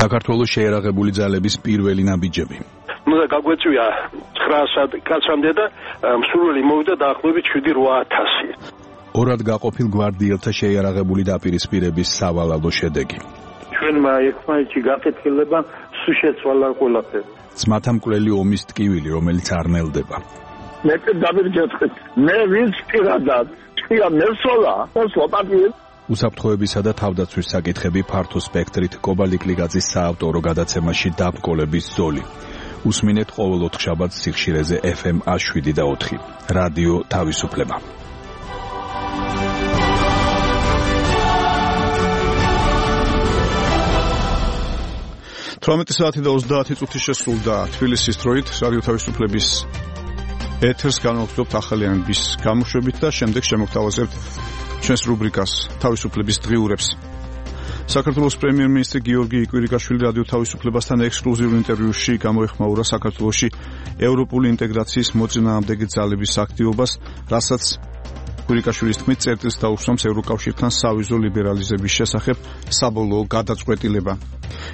საქართველოს შეერაღებული ძალების პირველი ნაბიჯები. ნუ და გაგვეწვია ცხრაასად კაცამდე და მსურველი მოვიდა დაახლოებით შვიდი რვა ათასი. ორად გაყოფილ გვარდიელთა შეერაღებული დაპირისპირების სავალალო შედეგი. ჩვენმა ერთმანეთში გაკეთილება სულ შეცვალა ყველაფერი. ძმათა მკვლელი ომის ტკივილი, რომელიც არ ნელდება. მე დავირჯეთხეთ. მე ვინც პირადად ჭია მესვლა სლოპატი უსაფრთხოებისა და თავდაცვის საკითხები ფართო სპექტრით კობალტ კლიგაძის საავტორო გადაცემაში დაბკოლების ზოლი. უსმინეთ ყოველ ოთხშაბათს სიხშირეზე ეფ ემ შვიდ და ოთხი. რადიო თავისუფლება. თვრამეტი საათი და ოცდაათი წუთი შესრულდა თბილისის დროით რადიო თავისუფლების ეთერს განვაგრძობთ ახალიანების გამოშვებით და შემდეგ შემოგთავაზებთ ჩვენს რუბრიკას თავისუფლების დღიურებს. საქართველოს პრემიერ-მინისტრი გიორგი კვირიკაშვილი რადიო თავისუფლებასთან ექსკლუზიურ ინტერვიუში გამოეხმაურა საქართველოში ევროპული ინტეგრაციის მოწინააღმდეგე ძალების აქტივობას, რასაც კვირიკაშვილის თქმით წერტილს დაუსვამს ევროკავშირთან სავიზო ლიბერალიზების შესახებ საბოლოო გადაწყვეტილება.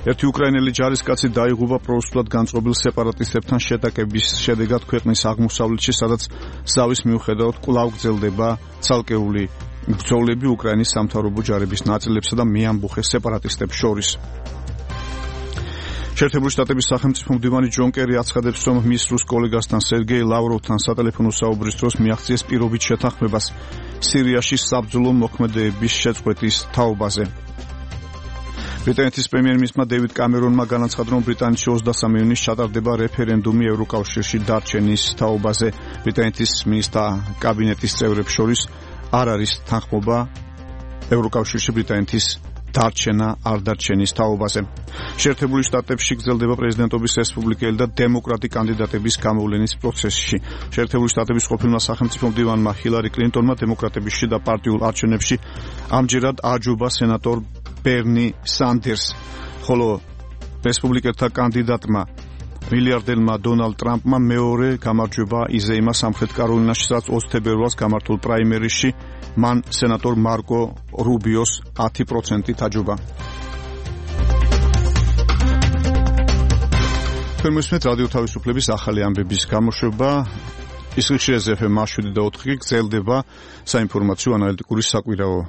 ერთი უკრაინელი ჯარისკაცი დაიღუპა პროუსულად განწყობილ სეპარატისტებთან შეტაკების შედეგად ქვეყნის აღმოსავლეთში, სადაც ზავის მიუხედავად კვლავ გრძელდება ცალკეული ბრძოლები უკრაინის სამთავრობო ჯარების ნაწილებსა და მეამბუხე სეპარატისტებს შორის. შეერთებული შტატების სახელმწიფო მდივანი ჯონ კერი აცხადებს, რომ მის რუს კოლეგასთან სერგეი ლავროვთან სატელეფონო საუბრის დროს მიაღწიეს პირობით შეთანხმებას სირიაში საბრძოლო მოქმედებების შეწყვეტის თაობაზე. ბრიტანეთის პრემიერ-მინისტრმა დევიდ კამერონმა განაცხადა, რომ ბრიტანეთში ოცდასამი ივნისს ჩატარდება რეფერენდუმი ევროკავშირში დარჩენის თაობაზე. ბრიტანეთის მინისტრთა კაბინეტის წევრებს შორის არ არის თანხმობა ევროკავშირში ბრიტანეთის დარჩენა არ დარჩენის თაობაზე. შეერთებული შტატებში გრძელდება პრეზიდენტობის რესპუბლიკელი და დემოკრატი კანდიდატების გამოვლენის პროცესში. შეერთებული შტატების ყოფილმა სახელმწიფო მდივანმა ჰილარი კლინტონმა დემოკრატების შიდა პარტიულ არჩევნებში ამჯერად აჯობა სენატორ ბერნი სანდერს, ხოლო რესპუბლიკელთა კანდიდატმა მილიარდერმა დონალდ ტრამპმა მეორე გამარჯვება იზეიმა სამხრეთ კაროლინაში, სადაც ოცი თებერვალს გამართულ პრაიმერისში მან სენატორ მარკო რუბიოს ათი პროცენტით აჯობა. თქვენ მისმენთ რადიო თავისუფლების ახალი ამბების გამოშვება. ისრიხშირეზე ეფ ემ შვიდ და ოთხი გრძელდება საინფორმაციო ანალიტიკური საკვირაო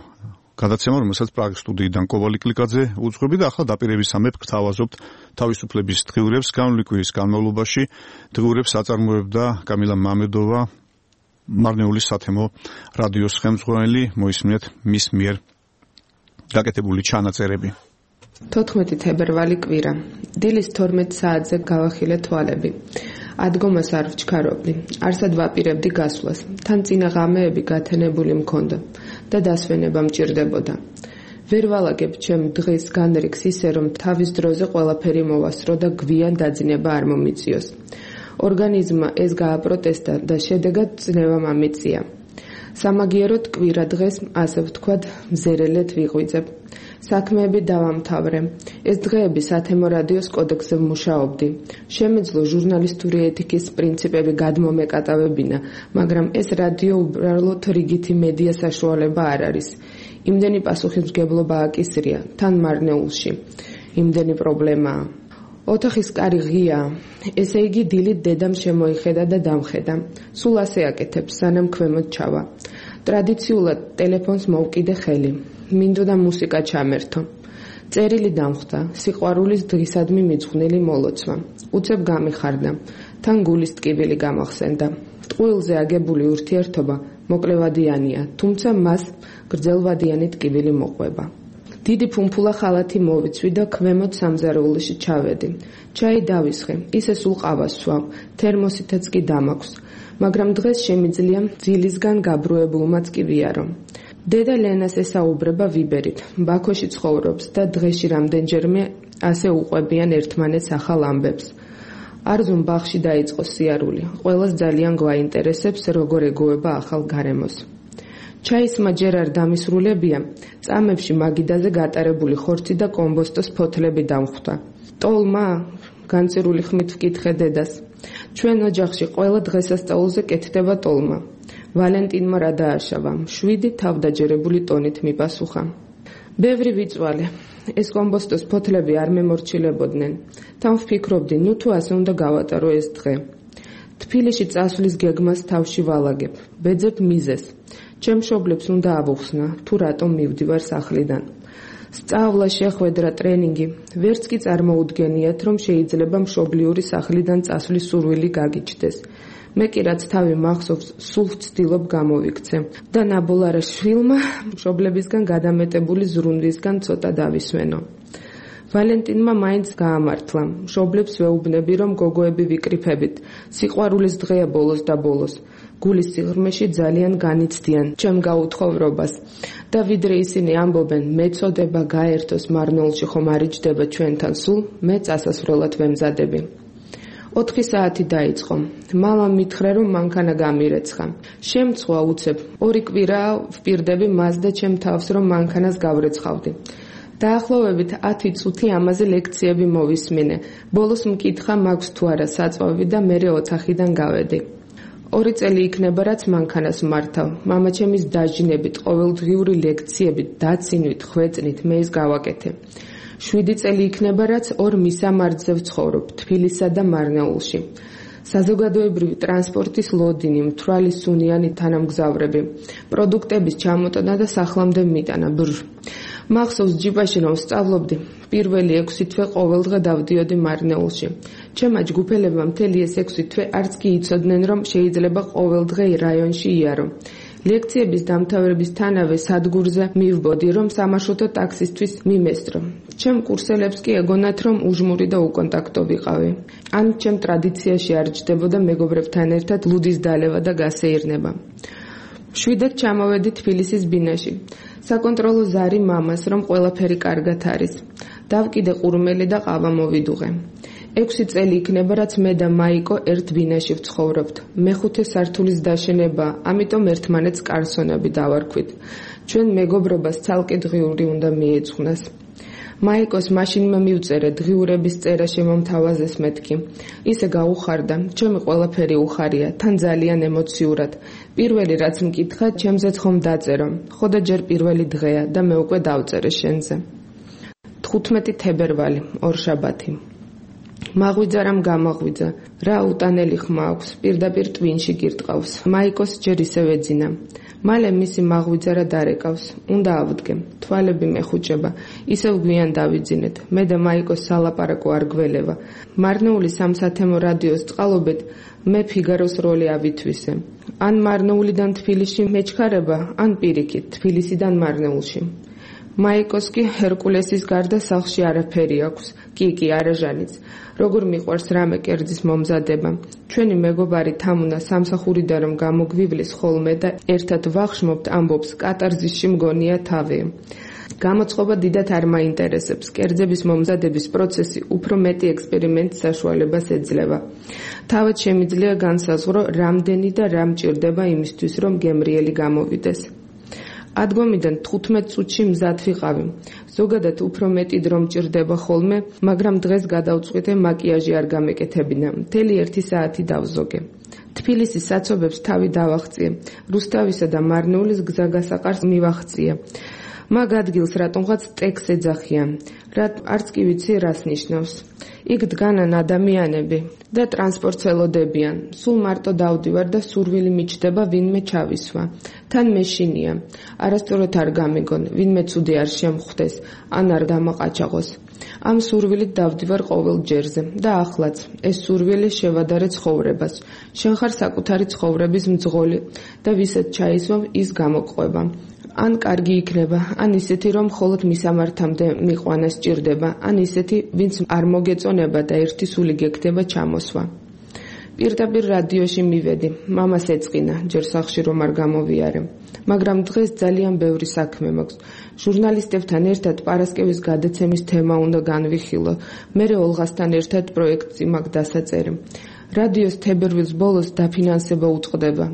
გადაცემა, რომელსაც პრაღის სტუდიიდან კობალტ კლიგაძე უძღვები და ახლა დაპირებისამებრ გთავაზობთ თავისუფლების დღიურებს. განვლილი კვირის განმავლობაში დღიურებს აწარმოებდა კამილა მამედოვა, მარნეულის სათემო რადიოს ხელმძღვანელი. მოისმინეთ მის მიერ გაკეთებული ჩანაწერები. თოთხმეტი თებერვალი კვირა. დილის თორმეტ საათზე გავახილე თვალები. ადგომას არ ვჩქარობდი, არსად ვაპირებდი გასვლას. თან წინა ღამეები გათენებული მქონდა და დასვენება მჭირდებოდა. ვერ ვალაგებ ჩემ დღის განრიგს ისე, რომ თავის დროზე ყველაფერი მოვასწრო და გვიან დაძინება არ მომიწიოს. ორგანიზმმა ეს გააპროტესტა და შედეგად წნევა მომიწია. სამაგიეროდ კვირა დღეს, ასე ვთქვათ, მზერელეთ ვიღვიძებ. საქმეები დავამთავრე. ეს დღეები სათემო რადიოს კოდექსზე ვმუშაობდი. შემეძლო ჟურნალისტური ეთიკის პრინციპები გადმომეკატავებინა, მაგრამ ეს რადიო უბრალოდ რიგითი მედია საშუალება არ არის. იმდენი პასუხისმგებლობა აკისრია, თან მარნეულში. იმდენი პრობლემაა. ოთახის კარი ღია, ესე იგი დილით დედამ შემოიხედა და დამხედა. სულ ასე აკეთებს, სანამ ქვემოთ ჩავა. ტრადიციულად ტელეფონს მოვკიდე ხელი. მინდოდა მუსიკა ჩამერთო. წერილი დამხვდა, სიყვარულის დღისადმი მიძღვნილი მოლოცვა. უცებ გამიხარდა, თან გულის ტკივილი გამახსენდა. ტყუილზე აგებული ურთიერთობა მოკლევადიანია, თუმცა მას გრძელვადიანი ტკივილი მოყვება. დიდი ფუმფულა ხალათი მოვიცვი და ქვემოთ სამზარეულოში ჩავედი. ჩაი დავისხე, ისე სულ ყავას სვავ, თერმოსითაც კი დამაქვს, მაგრამ დღეს შემიძლია ძილისგან გაბრუებულმაც კი ვიარო. დედა ლენას ესაუბრება ვიბერით, ბაქოში ცხოვრობს და დღეში რამდენჯერმე ასე უყვებიან ერთმანეთს ახალ ამბებს. არზუმ ბაღში დაიწყო სიარული, ყველას ძალიან გვაინტერესებს, როგორ ეგუება ახალ გარემოს. ჩაისმა ჯერ არ დამისრულებია, წამებში მაგიდაზე გატარებული ხორცი და კომბოსტოს ფოთლები დამხვდა. ტოლმა, განწირული ხმით ვკითხე დედას. ჩვენ ოჯახში ყველა დღესასწაულზე კეთდება ტოლმა. ვალენტინმა რა დააშავა, შვიდი თავდაჯერებული ტონით მიპასუხა. ბევრი ვიწვალე, ეს კომბოსტოს ფოთლები არ მემორჩილებოდნენ. თან ვფიქრობდი, ნუ თუ ასე უნდა გავატარო ეს დღე. თბილისში წასვლის გეგმას თავში ვალაგებ, ბეძებ მიზეს. ჩემ მშობლებს უნდა ავუხსნა, თუ რატომ მივდივარ სახლიდან. სწავლა, შეხვედრა, ტრენინგი, ვერც კი წარმოუდგენიათ, რომ შეიძლება მშობლიური სახლიდან წასვლის სურვილი გაგიჩნდეს. მე კი რაც თავი მახსოვს, სულ ვცდილობ გამოვიქცე და ნაბოლარა შვილმა მშობლებისგან გადამეტებული ზრუნვისგან ცოტა დავისვენო. ვალენტინმა მაინც გაამართლა. მშობლებს ვეუბნები, რომ გოგოები ვიკრიფებით. სიყვარულის დღეა ბოლოს და ბოლოს. გულის სიღრმეში ძალიან განიცდიან ჩემ გაუთხოვრობას. და ვიდრე ისინი ამბობენ, მეწოდება გაერთოს მარნეულში ხომ არ იჯდება ჩვენთან სულ, მე წასასვლელად ვემზადები. ოთხი საათი დაიწყო. მამამ მითხრა, რომ მანქანა გამირეცხა. შემწვა უცებ. ორი კვირაა ვპირდები მას და ჩემ თავს, რომ მანქანას გავრეცხავდი. დაახლოებით ათი წუთი ამაზე ლექციები მოვისმინე. ბოლოს მკითხა მაქვს თუ არა საწვავი და მერე ოთახიდან გავედი. ორი წელი იქნება, რაც მანქანას მართავ. მამაჩემის დაჟინებით, ყოველდღიური ლექციებით, დაცინვით, ხვეწნით მე ის გავაკეთე. შვიდი წელი იქნება, რაც ორ მისამართზე ვცხოვრობ, თბილისსა და მარნეულში. საზოგადოებრივი ტრანსპორტის ლოდინი, მთვრალი სუნიანი თანამგზავრები, პროდუქტების ჩამოტანა და სახლამდე მიტანა. ბრ. მახსოვს ჯიპაში რომ სწავლობდი, პირველი ექვსი თვე ყოველდღე დავდიოდი მარნეულში. ჩემმა ჯგუფელებმა მთელი ეს ექვსი თვე არც კი იცოდნენ, რომ შეიძლება ყოველდღე რაიონში იარო. ლექციების დამთავრებისთანავე სადგურზე მივბოდი, რომ სამარშრუტო ტაქსისთვის მიმესტრო. ჩემ კურსელებს კი ეგონათ, რომ უჟმური და უკონტაქტო ვიყავი. ან ჩემ ტრადიციაში არ ჯდებოდა მეგობრებთან ერთად ლუდის დალევა და გასეირნება. შვიდად ჩამოვედი თბილისის ბინაში. საკონტროლო ზარი მამას, რომ ყველაფერი კარგად არის. დავკიდე ყურმელი და ყავა მოვიდუღე. ექვსი წელი იქნება, რაც მე და მაიკო ერთ ბინაში ვცხოვრობთ. მეხუთე სართულის დაშენება, ამიტომ ერთმანეთს კარსონები დავარქვით. ჩვენ მეგობრობას ცალკე დღიური უნდა მიეძღვნას. მაიკოს მაშინმა მივწერე დღიურების წერა შემომთავაზეს მეთქი. ისე გაუხარდა, ჩემი ყველაფერი უხარია, თან ძალიან ემოციურად. პირველი რაც მკითხა, ჩემზეც ხომ დაწერო. ხო და ჯერ პირველი დღეა და მე უკვე დავწერე შენზე. თხუთმეტი თებერვალი, ორშაბათი. მაღვიძა რამ გამაღვიძა, რა უტანელი ხმა აქვს, პირდაპირ ტვინში გირტყავს. მაიკოს ჯერ ისევ ეძინა. მალე მისი მაღვიძა რა დარეკავს, უნდა ავდგე, თვალები მეხუჭება, ისევ გვიან დავიძინეთ, მე და მაიკოს სალაპარაკო არ გველევა. მარნეულის სამსათემო რადიოს წყალობით მე ფიგაროს როლი ავითვისე. ან მარნეულიდან თბილისში მეჩქარება, ან პირიქით, თბილისიდან მარნეულში. მაიკოს კი ჰერკულესის გარდა სახლში არაფერი აქვს, კი კი არაჟანიც. როგორ მიყვარს რამე კერძის მომზადება. ჩვენი მეგობარი თამუნა სამსახურიდან რომ გამოგვივლის ხოლმე და ერთად ვახშმობთ, ამბობს, კატარზისში მგონია თავი. გამოწყობა დიდად არ მაინტერესებს. კერძების მომზადების პროცესი უფრო მეტი ექსპერიმენტის საშუალებას ეძლევა. თავად შემიძლია განსაზღვრო, რამდენი და რა მჭირდება იმისთვის, რომ გემრიელი გამოვიდეს. ადგომიდან თხუთმეტ წუთში მზად ვიყავი. ზოგადად უფრო მეტი დრო მჭირდება ხოლმე, მაგრამ დღეს გადავწყვიტე მაკიაჟი არ გამეკეთებინა. მთელი ერთი საათი დავზოგე. თბილისის საცობებს თავი დავახციე. რუსთავისა და მარნეულის გზაგასაყარს მივახციე. მაგ ადგილს რატომღაც ტექს ეძახიან. რაც არც კი ვიცი რას ნიშნავს. იქ დგანან ადამიანები და ტრანსპორტს ელოდებიან. სულ მარტო დავდივარ და სურვილი მიჩდება ვინმე ჩავისვა. თან მეშინია. არასწორად არ გამიგონ, ვინმე ცუდი არ შემხვდეს, ან არ დამაყაჩაღოს. ამ სურვილით დავდივარ ყოველ ჯერზე და ახლაც ეს სურვილი შევადარე ცხოვრებას. შენ ხარ საკუთარი ცხოვრების მძღოლი და ვისაც ჩაისვამ ის გამოგყვება. ან კარგი იქნება, ან ისეთი, რომ მხოლოდ მისამართამდე მიყვანა სჭირდება, ან ისეთი, ვინც არ მოგეწონება და ერთი სული გეკდება ჩამოსვა. პირდაპირ რადიოში მივედი, მამას ეწყინა, ჯერ სახლში რომ არ გამოვიარე. მაგრამ დღეს ძალიან ბევრი საქმე მაქვს. ჟურნალისტებთან ერთად პარასკევის გადაცემის თემა უნდა განვიხილო. მერე ოლღასთან ერთად პროექტი მაქვს დასაწერი. რადიოს თებერვლის ბოლოს დაფინანსება უწყდება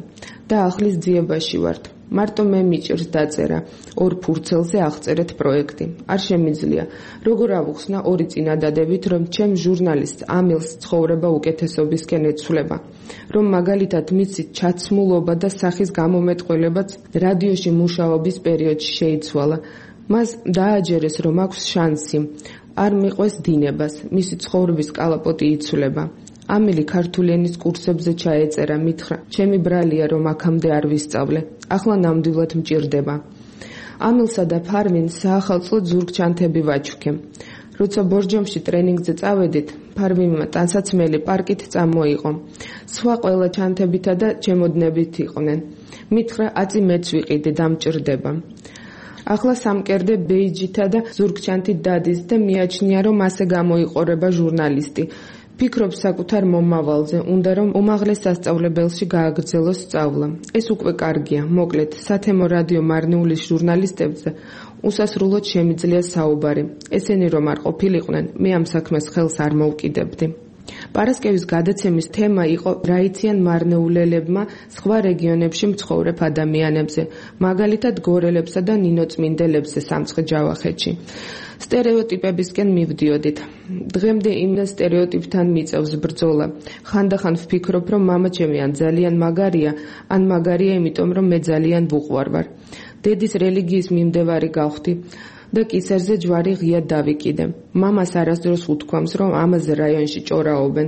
და ახლის ძიებაში ვართ. მარტო მე მიჭირს დაწერა. ორ ფურცელზე აღწერეთ პროექტი. არ შემიძლია. როგორ ავუხსნა ორი წინადადებით, რომ ჩემ ჟურნალისტ ამილს ცხოვრება უკეთესობისკენ ეცვლება. რომ მაგალითად მიცით ჩაცმულობა და სახის გამომეტყველებაც რადიოში მუშაობის პერიოდში შეიცვალა. მას დააჯერეს, რომ აქვს შანსი. არ მიყვეს დინებას. მისი ცხოვრების კალაპოტი იცვლება. ამილი ქართული ენის კურსებზე ჩაეწერა, მითხრა, ჩემი ბრალია რომ აქამდე არ ვისწავლე, ახლა ნამდვილად მჭირდება. ამილსა და ფარმინ საახალწლო ზურგჩანთები ვაჩუქე. როცა ბორჯომში ტრენინგზე წავედით, ფარვინმა ტანსაცმელი პარკით წამოიღო. სხვა ყველა ჩანთებითა და ჩემოდნებით იყვნენ. მითხრა აწი მეც ვიყიდე დამჭირდება. ახლა სამკერდე ბეიჯითა და ზურგჩანთით დადის და მიაჩნია რომ ასე გამოიყურება ჟურნალისტი. ფიქრობს საკუთარ მომავალზე, უნდა რომ უმაღლეს სასწავლებელში გააგრძელოს სწავლა. ეს უკვე კარგია, მოკლედ, სათემო რადიო მარნეულის ჟურნალისტებზე უსასრულოდ შემიძლია საუბარი. ესენი რომ არ ყოფილიყვნენ, მე ამ საქმეს ხელს არ მოვკიდებდი. პარასკევის გადაცემის თემა იყო რა იციან მარნეულელებმა სხვა რეგიონებში მცხოვრებ ადამიანებზე, მაგალითად გორელებსა და ნინოწმინდელებზე სამცხე-ჯავახეთში. სტერეოტიპებისკენ მივდიოდით. დღემდე იმ სტერეოტიპთან მიწევს ბრძოლა. ხანდახან ვფიქრობ, რომ მამაჩემი ან ძალიან მაგარია, ან მაგარია იმიტომ, რომ მე ძალიან ვუყვარვარ. დედის რელიგიის მიმდევარი გავხდი და კისერზე ჯვარი ღია დავიკიდე. მამას არასდროს უთქვამს, რომ ამაზე რაიონში ჭორაობენ,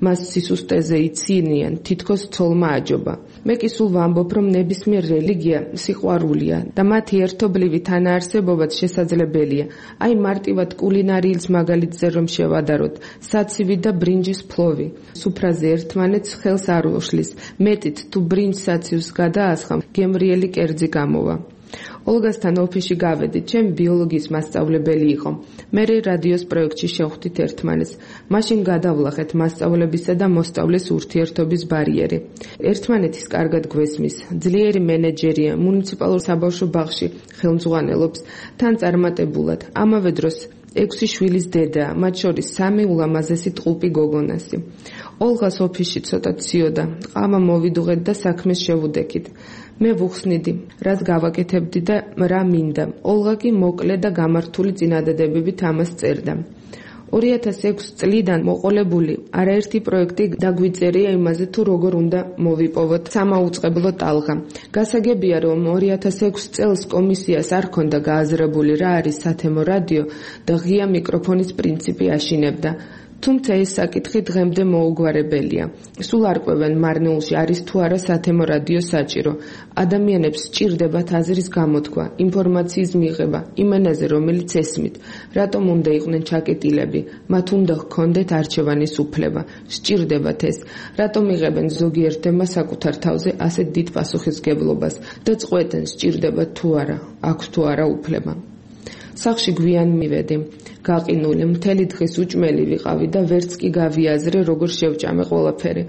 მას სისუსტეზე იცინიან, თითქოს ცოლმა აჯობა. მე კი სულ ვამბობ, რომ ნებისმიერ რელიგია სიყვარულია და მათი ერთობლივი თანაარსებობაც შესაძლებელია. აი მარტივად კულინარიის მაგალითზე რომ შევადაროთ, საცივი და ბრინჯის ფლოვი. სუფრაზე ერთმანეთს ხელს არ უშლის. მეტით თუ ბრინჯ საცივს გადაასხამ, გემრიელი კერძი გამოვა. ოლგასთან ოფისში გავედით, ჩემი ბიოლოგიის მასწავლებელი იყო. მე რადიოს პროექტში შევხვდით ერთმანეთს. მაშინ გადავლახეთ მასწავლებისა და მოსწავლის ურთიერთობის ბარიერი. ერთმანეთის კარგად გვესმის, ძლიერი მენეჯერია, მუნიციპალურ საბავშვო ბაღში ხელმძღვანელობს, თან წარმატებულად. ამავე დროს ექვსი შვილის დედაა, მათ შორის სამი ულამაზესი ტყუპი გოგონასი. ოლღას ოფისში ცოტა ციოდა, ყამა მოვიდუღეთ და საქმეს შევუდექით. მე ვუხსნიდი, რაც გავაკეთებდი და რა მინდა. ოლღა კი მოკლე და გამართული წინადადებებით ამას წერდა. ორი ათას ექვსი წლიდან მოყოლებული არაერთი პროექტი დაგვიწერია იმაზე თუ როგორ უნდა მოვიპოვოთ სამაუწყებლო ტალღა. გასაგებია, რომ ორი ათას ექვსი წელს კომისიას არ ჰქონდა გააზრებული რა არის სათემო რადიო და ღია მიკროფონის პრინციპი აშინებდა. თუმცა ეს საკითხი დღემდე მოუგვარებელია. სულ არ ყვევენ მარნეულში არის თუ არა სათემო რადიო საჭირო. ადამიანებს სჭირდებათ აზრის გამოთქვა, ინფორმაციის მიღება, იმ ენაზე რომელიც ესმით. რატომ უნდა იყვნენ ჩაკეტილები? მათ უნდა ჰქონდეთ არჩევანის უფლება. სჭირდებათ ეს. რატომ იღებენ ზოგიერთმა საკუთარ თავზე ასეთ დიდ პასუხისმგებლობას და წყვეტენ სჭირდებათ თუ არა, აქვს თუ არა უფლება. სახში გვიან მივედი. გაყინული მთელი დღის უჭმელი ვიყავი და ვერც კი გავიაზრე როგორ შევჭამე ყველაფერი.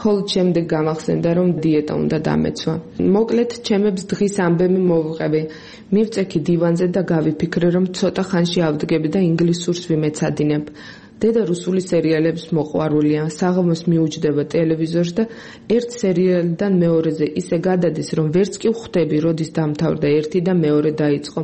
ხოლო შემდეგ გამახსენდა რომ დიეტა უნდა დამეცვა. მოკლედ ჩემებს დღის ამბები მოვუყევი. მივწექი დივანზე და გავიფიქრე რომ ცოტა ხანში ავდგები და ინგლისურს ვიმეცადინებ. დედა რუსული სერიალებს მოყვარულია, საღამოს მიუჯდება ტელევიზორს და ერთ სერიალიდან მეორეზე ისე გადადის რომ ვერც კი ვხვდები როდის დამთავრდა ერთი და მეორე დაიწყო.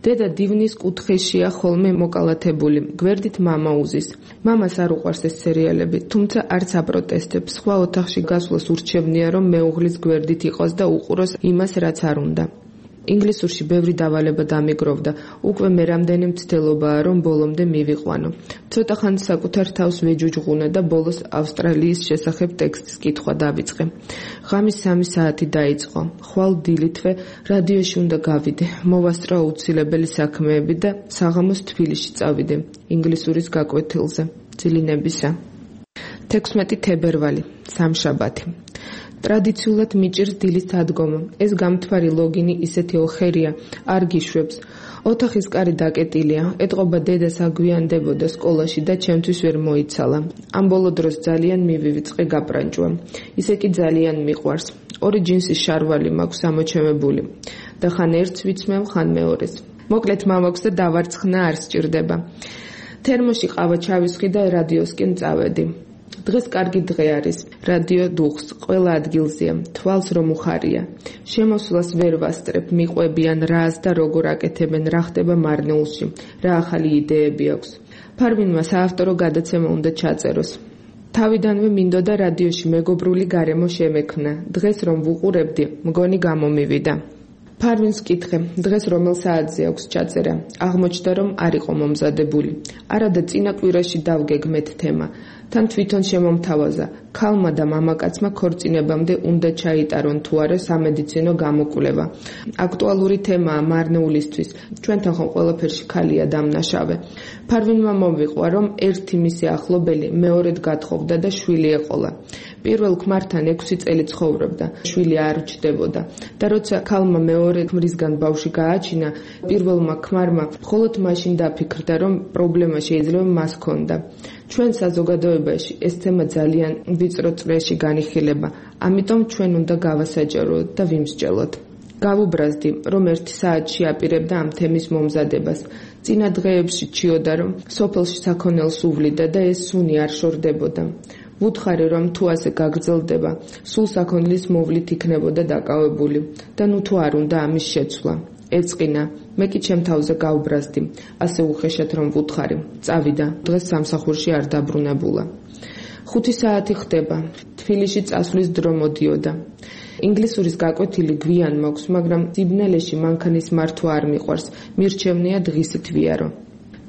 დედა დივნის კუთხეშია ხოლმე მოკალათებული, გვერდით მამა უზის. მამას არ უყვარს ეს სერიალები, თუმცა არც აპროტესტებს. სხვა ოთახში გასვლას ურჩევნია, რომ მეუღლის გვერდით იყოს და უყუროს იმას, რაც არ უნდა. ინგლისურში ბევრი დავალება დამიგროვდა, უკვე მე რამდენი მცდელობაა, რომ ბოლომდე მივიყვანო. ცოტა ხანი საკუთარ თავს ვეჯუჯღუნე და ბოლოს ავსტრალიის შესახებ ტექსტის კითხვა დავიწყე. ღამის სამი საათი დაიწყო. ხვალ დილითვე რადიოში უნდა გავიდე, მოვასწრო აუცილებელი საქმეები და საღამოს თბილისში წავიდე, ინგლისურის გაკვეთილზე, ძილინებისა. თექვსმეტი თებერვალი, სამშაბათი. ტრადიციულად მიჭირს დილის დადგომა. ეს გამთვარი ლოგინი ისეთი ოხერია, არ გიშვებს. ოთახის კარი დაკეტილია, ეტყობა დედას აგვიანდებოდა სკოლაში და ჩემთვის ვერ მოიცალა. ამ ბოლო დროს ძალიან მივივიწყე გაპრანჭვა. ისე კი ძალიან მიყვარს. ორი ჯინსის შარვალი მაქვს ამოჩემებული და ხან ერთს ვიცმევ, ხან მეორეს. მოკლედ მამაქვს და დავარცხნა არ სჭირდება. თერმოში ყავა ჩავისხი და რადიოსკენ წავედი. დღეს კარგი დღე არის. რადიო დუხს, ყველა ადგილზეა, თვალს რომ უხარია. შემოსვლას ვერ ვასწრებ, მიყვებიან რას და როგორ აკეთებენ, რა ხდება მარნეულში, რა ახალი იდეები აქვს. ფარვინმა საავტორო გადაცემა უნდა ჩაწეროს. თავიდანვე მინდოდა რადიოში მეგობრული გარემო შემექმნა. დღეს რომ ვუყურებდი, მგონი გამომივიდა. ფარვინს კითხე, დღეს რომელ საათზე აქვს ჩაწერა. აღმოჩნდა რომ არ იყო მომზადებული. არადა წინა კვირაში დავგეგმეთ თემა. თან თვითონ შემომთავაზა ქალმა და მამაკაცმა ქორწინებამდე უნდა ჩაიტარონ თუ არა სამედიცინო გამოკვლევა. აქტუალური თემაა მარნეულისთვის, ჩვენთან ხომ ყველაფერში ქალია დამნაშავე. ფარვინმა მომვიყვა, რომ ერთი მისი ახლობელი მეორედ გათხოვდა და შვილი ეყოლა. პირველ ქმართან ექვსი წელი ცხოვრობდა, შვილი არ რჩდებოდა და როცა ქალმა მეორე ქმრისგან ბავშვი გააჩინა, პირველმა ქმარმა მხოლოდ მაშინ დაფიქრდა, რომ პრობლემა შეიძლება მას ჰქონდა. ჩვენ საზოგადოებაში ეს თემა ძალიან ვიწრო წრეში განიხილება, ამიტომ ჩვენ უნდა გავასაჯაროთ და ვიმსჯელოთ. გავუბრაზდი, რომ ერთი საათში აპირებდა ამ თემის მომზადებას. წინა დღეებში ჩიოდა, რომ სოფელში საქონელს უვლიდა და ეს სუნი არ შორდებოდა. ვუთხარი, რომ თუ ასე გაგრძელდება, სულ საქონლის მოვლით იქნებოდა დაკავებული და ნუ თუ არ უნდა ამის შეცვლა. ეწყინა, მე კი ჩემ თავზე გავუბრაზდი, ასე უხეშად რომ ვუთხარი. წავიდა, დღეს სამსახურში არ დაბრუნებულა. ხუთი საათი ხდება, თბილისში წასვლის დრო მოდიოდა. ინგლისურის გაკვეთილი გვიან მაქვს, მაგრამ სიბნელეში მანქანის მართვა არ მიყვარს, მირჩევნია დღისით ვიარო.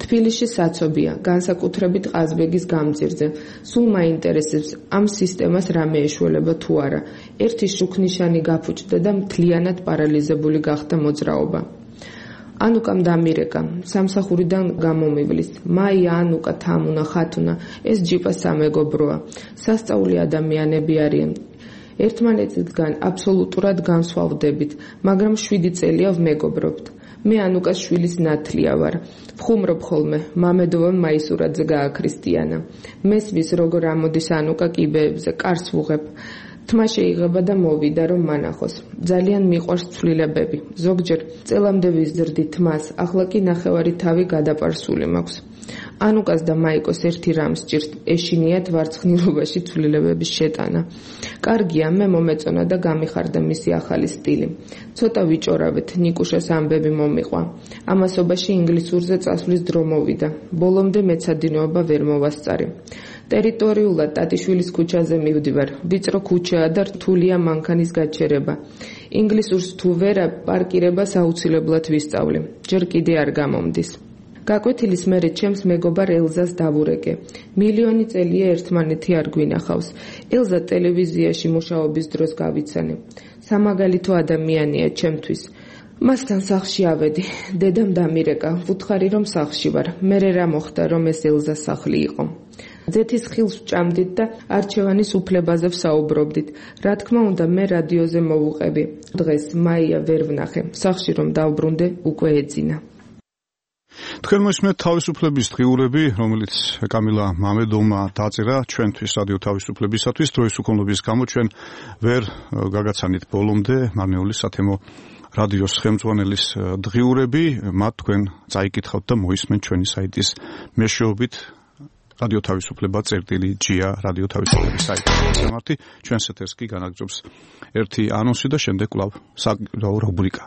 თბილისში საცობია, განსაკუთრებით ყაზბეგის გამზირზე. სულ მაინტერესებს ამ სისტემას რამე ეშველება თუ არა. ერთი შუქნიშანი გაფუჭდა და მთლიანად პარალიზებული გახდა მოძრაობა. ანუკამ დამირეკა, სამსახურიდან გამომივლის. მაია, ანუკა, თამუნა, ხათუნა, ეს ჯიპა სამეგობროა. სასწაული ადამიანები არიან. ერთმანეთისგან აბსოლუტურად განსხვავდებით, მაგრამ შვიდი წელია ვმეგობრობთ. მე ანუკას შვილის ნათლია ვარ. ვხუმრობ ხოლმე, მამედოვან მაისურაძე გააქრისტიანა. მესმის როგორ ამოდის ანუკა კიბეებზე, კარს ვუღებ. თმა შეიღება და მოვიდა რომ მანახოს. ძალიან მიყვარს ცვლილებები. ზოგჯერ წელამდე ვიზრდი თმას, ახლა კი ნახევარი თავი გადაპარსული მაქვს. ანუკას და მაიკოს ერთი რამ სჭირს, ეშინიათ ვარცხნილობაში ცვლილებების შეტანა. კარგია, მე მომეწონა და გამიხარდა მისი ახალი სტილი. ცოტა ვიჭორავეთ, ნიკუშას ამბები მომიყვა. ამასობაში ინგლისურზე წასვლის დრო მოვიდა. ბოლომდე მეცადინეობა ვერ მოვასწარი. ტერიტორიულად ტატიშვილის ქუჩაზე მივდივარ. ვიწრო ქუჩაა და რთულია მანქანის გაჩერება. ინგლისურს თუ ვერა, პარკირებას აუცილებლად ვისწავლი. ჯერ კიდე არ გამომდის. გაკვეთილის მერე ჩემს მეგობარ ელზას დავურეკე. მილიონი წელია ერთმანეთი არ გვინახავს. ელზა ტელევიზიაში მუშაობის დროს გავიცანე. სამაგალითო ადამიანია ჩემთვის. მასთან სახლში ავედი. დედამ დამირეკა. ვუთხარი რომ სახლში ვარ. მერე რა მოხდა რომ ეს ელზას სახლი იყო. ძეთის ხილს ვჭამდით და არჩევანის უფლებაზე ვსაუბრობდით. რა თქმა უნდა, მე რადიოზე მოვუყები. დღეს მაია ვერ ვნახე. სახლში რომ დავბრუნდე, უკვე ეძინა. თქვენ მოსმენთ თავისუფლების დღიურები, რომელიც კამილა მამედოვმა დაწერა ჩვენთვის რადიო თავისუფლებისათვის. დროის უქონლობის გამო ჩვენ ვერ გაგაცანით ბოლომდე მარნეულის სათემო რადიოს ხელმძღვანელის დღიურები. მათ თქვენ წაიკითხავთ და მოისმენთ ჩვენი საიტის მეშვეობით რადიო თავისუფლება წერტილი ჯია რადიო თავისუფლების საიტის გამართი. ჩვენს ეთერს კი განაგრძობს ერთი ანონსი და შემდეგ კვლავ საკითხავ რუბრიკა.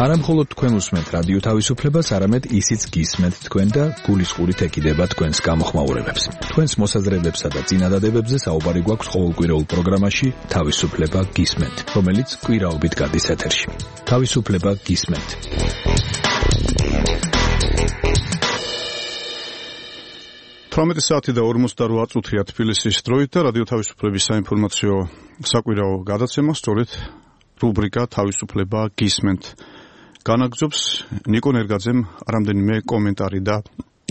არა მხოლოდ თქვენ უსმენთ რადიო თავისუფლებას, არამედ ისიც გისმენთ თქვენ და გულისყურით ეკიდება თქვენს გამოხმაურებებს. თქვენს მოსაზრებებსა და წინადადებებზე საუბარი გვაქვს ყოველკვირეულ პროგრამაში თავისუფლება გისმენთ, რომელიც კვირაობით გადის ეთერში. თავისუფლება გისმენთ. თვრამეტი საათი და ორმოცდაოთხ წუთია თბილისის დროით და რადიო თავისუფლების საინფორმაციო საკვირაო გადაცემა სწორედ რუბრიკა თავისუფლება გისმენთ განაგრძობს. ნიკო ნერგაძემ რამდენიმე კომენტარი და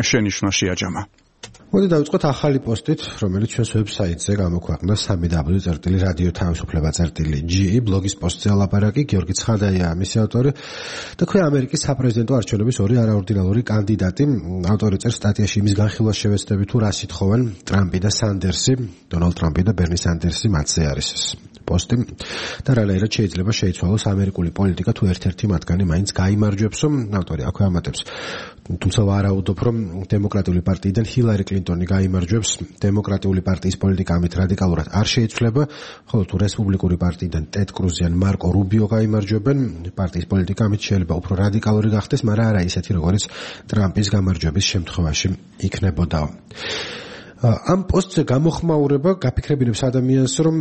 შენიშვნა შეაჯამა. მოდი დავიწყოთ ახალი პოსტით, რომელიც ჩვენს ვებსაიტზე გამოქვეყნდა სამი დაბლიუ წერტილი რადიო თავისუფლება წერტილი ჯი ბლოგის პოსტზე ალაპარაკი. გიორგი ცხადაია მისი ავტორი და ქვე ამერიკის საპრეზიდენტო არჩევნების ორი არაორდინალური კანდიდატი. ავტორი წერს სტატიაში იმის განხილვას შევეცდები თუ რა სითხოვენ ტრამპი და სანდერსი, დონალდ ტრამპი და ბერნი სანდერსი მათზე არის ეს პოსტი და რანაირად შეიძლება შეიცვალოს ამერიკული პოლიტიკა თუ ერთ-ერთი მათგანი მაინც გაიმარჯვებსო. ავტორი აქვე ამატებს, თუმცა ვარაუდობ, რომ დემოკრატიული პარტიიდან ჰილარი კლინტონი გაიმარჯვებს. დემოკრატიული პარტიის პოლიტიკა ამით რადიკალურად არ შეიცვლება, ხოლო თუ რესპუბლიკური პარტიიდან ტედ კრუზი ან მარკო რუბიო გაიმარჯვებენ, პარტიის პოლიტიკა ამით შეიძლება უფრო რადიკალური გახდეს, მაგრამ არა ისეთი, როგორც ტრამპის გამარჯვების შემთხვევაში იქნებოდა. ამ პოსტზე გამოხმაურება გაფიქრებინებს ადამიანს, რომ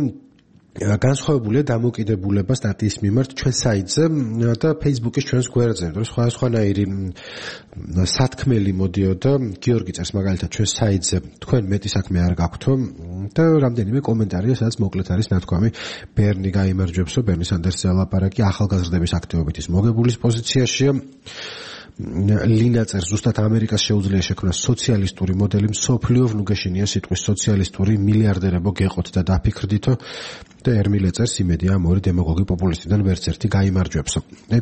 განსხვავებულია დამოკიდებულება სტატიის მიმართ ჩვენ საიტზე და Facebook-ის ჩვენს გვერდზე. რომ სხვა სხვანაირი სათქმელი მოდიოდა, გიორგი წერს მაგალითად ჩვენს საიტზე, თქვენ მეტი საქმე არ გაქვთო და რამდენიმე კომენტარია, სადაც მოკლედ არის ნათქვამი, ბერნი გაიმარჯვებსო, ბერნი სანდერსზე ალაპარაკი ახალგაზრდების აქტივობით ის მოგებულის პოზიციაშია. ლინა წერს, ზუსტად ამერიკას შეუძლია შექმნას სოციალისტური მოდელი, მსოფლიო ნუგეშინია სიტყვის სოციალისტური მილიარდერებო გეყოთ და დაფიქრდითო და ერმილე წერს, იმედია ამ ორი დემაგოგი პოპულისტიდან ვერც ერთი გაიმარჯვებსო.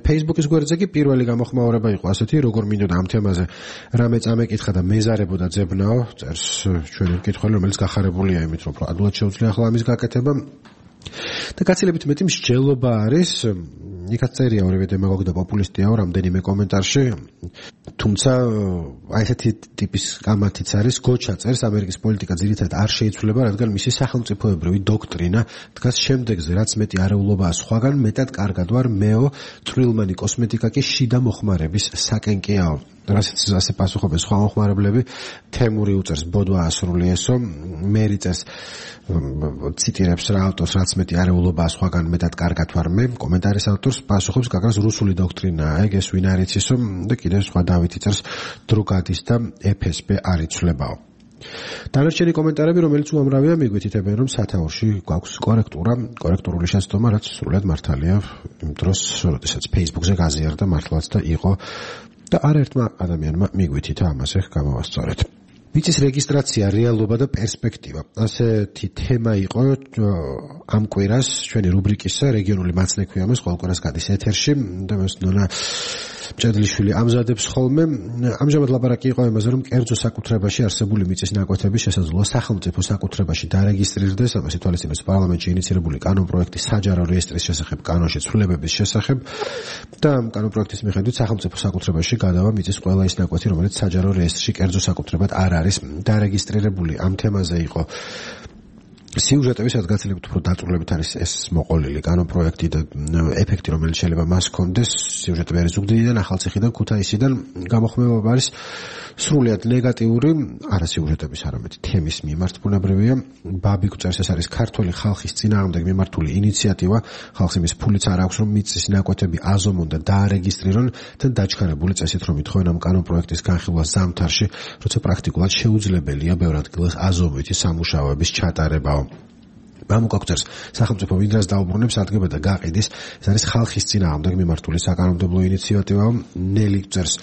Facebook-ის გვერდზე კი პირველი გამოხმაურება იყო ასეთი, როგორ მინდოდა ამ თემაზე რამე წამეკითხა და მეზარებოდა ძებნაო, წერს ჩვენი მკითხველი, რომელიც გახარებულია იმით, რომ ადულად შეუძლია ახლა ამის გაკეთება. და გაცილებით მეტი მსჯელობა არის, იქაც წერია ორივე დემაგოგი და პოპულისტიაო რამდენიმე კომენტარში, თუმცა აი ესეთი ტიპის კამათიც არის, გოჩა წერს, ამერიკის პოლიტიკა ძირითადად არ შეიცვლება, რადგან მისი სახელმწიფოებრივი დოქტრინა დგას შემდეგზე, რაც მეტი არეულობაა სხვაგან, მეტად კარგად ვარ მეო, წვრილმანი კოსმეტიკა კი შიდა მოხმარების საკენკეაო. რასაც ასე პასუხობენ სხვა მოხმარებლები, თემური უწერს ბოდვა ასრულიესო, მერი წერს ციტირებს რა ავტორს, რაც მეტი არეულობაა სხვაგან, მეტად კარგად ვარ მე, კომენტარის ავტორს პასუხობს გაგას რუსული დოქტრინაა, ეგ ეს ვინ არ იცისო და კიდევ სხვა დავითი წერს დრუგადის და ეფ ეს ბე არ იცვლებაო. დანარჩენი კომენტარები, რომელიც უამრავია, მიგვითითებენ, რომ სათაურში გვაქვს კორექტურა, კორექტურული შეცდომა, რაც სრულად მართალია იმ დროს, როდესაც Facebook-ზე გაზიარდა მართლაც და იყო და არაერთმა ადამიანმა მიგვითითა ამაზე გამოვასწორეთ. მიწის რეგისტრაცია, რეალობა და პერსპექტივა. ასეთი თემა იყო ამ კვირას ჩვენი რუბრიკისა რეგიონული მაცნექვიამას ყოველ კვირას გადის ეთერში და მას ნონა ჭედლიშვილი ამზადებს ხოლმე. ამჟამად ლაპარაკი იყო იმაზე, რომ კერძო საკუთრებაში არსებული მიწის ნაკვეთების შესაძლოა სახელმწიფო საკუთრებაში დარეგისტრირდეს, ამას ითვალისწინებს პარლამენტში ინიცირებული კანონპროექტი საჯარო რეესტრის შესახებ კანონში ცვლილებების შესახებ და ამ კანონპროექტის მიხედვით სახელმწიფო საკუთრებაში გადავა მიწის ყველა ის ნაკვეთი, რომელიც საჯარო რეესტრში კერძო საკუთრებად არ არის დარეგისტრირებული. ამ თემაზე იყო სიუჟეტები, სადაც გაცილებით უფრო დაწვრილებით არის ეს მოყოლილი კანონპროექტი და ეფექტი, რომელიც შეიძლება მას ჰქონდეს. სიუჟეტები არის ზუგდიდიდან, ახალციხიდან, ქუთაისიდან. გამოხმეობა არის სრულიად ნეგატიური, არა სიუჟეტების, არამედ თემის მიმართ ბუნებრივია. ბაბიკ წერს, ეს არის ქართული ხალხის წინააღმდეგ მიმართული ინიციატივა. ხალხს იმის ფულიც არ აქვს, რომ მიწის ნაკვეთები აზომონ და დაარეგისტრირონ და დაჩქარებული წესით, რომ ითხოვენ ამ კანონპროექტის განხილვას ზამთარში, როცა პრაქტიკულად შეუძლებელია ბევრ ადგილას აზომვითი სამუშაოების ჩატარება. მამუკაკწერს სახელმწიფო ვინდრას დაუბრუნებს ადგება და გაყიდის, ეს არის ხალხის წინააღმდეგ მიმართული საკანონმდებლო ინიციატივა. ნელი წერს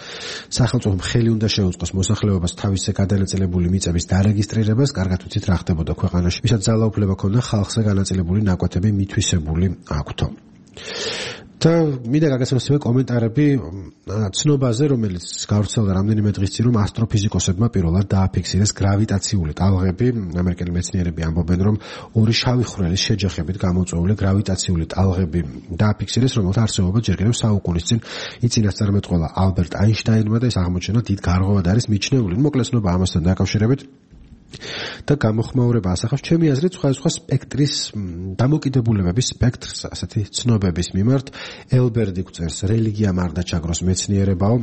სახელმწიფომ ხელი უნდა შეუწყოს მოსახლეობას თავისზე გადანაწილებული მიწების დარეგისტრირებას, კარგად ვიცით რა ხდებოდა ქვეყანაში, ვისაც ძალაუფლება ქონდა ხალხზე განაწილებული ნაკვეთები მითვისებული აქვთო. და მინდა გაგაცნოსებია კომენტარები ცნობაზე, რომელიც გავრცელდა რამდენიმე დღის წინ, რომ ასტროფიზიკოსებმა პირველად დააფიქსირეს გრავიტაციული ტალღები. ამერიკელი მეცნიერები ამბობენ, რომ ორი შავი ხვრელის შეჯახებით გამოწვეული გრავიტაციული ტალღები დააფიქსირეს, რომელთა არსებობა ჯერ კიდევ საუკუნის წინ იწინასწარმეტყველა ალბერტ აინშტაინმა და ეს აღმოჩენა დიდ გარღვევად არის მიჩნეული. მოკლედ ცნობა ამასთან დაკავშირებით და გამოხმაურება ასახავს ჩემი აზრით სხვადასხვა სპექტრის დამოკიდებულებების სპექტრს ასეთი ცნობების მიმართ. ელბერდი წერს, რელიგიამ არ დაჩაგროს მეცნიერებაო.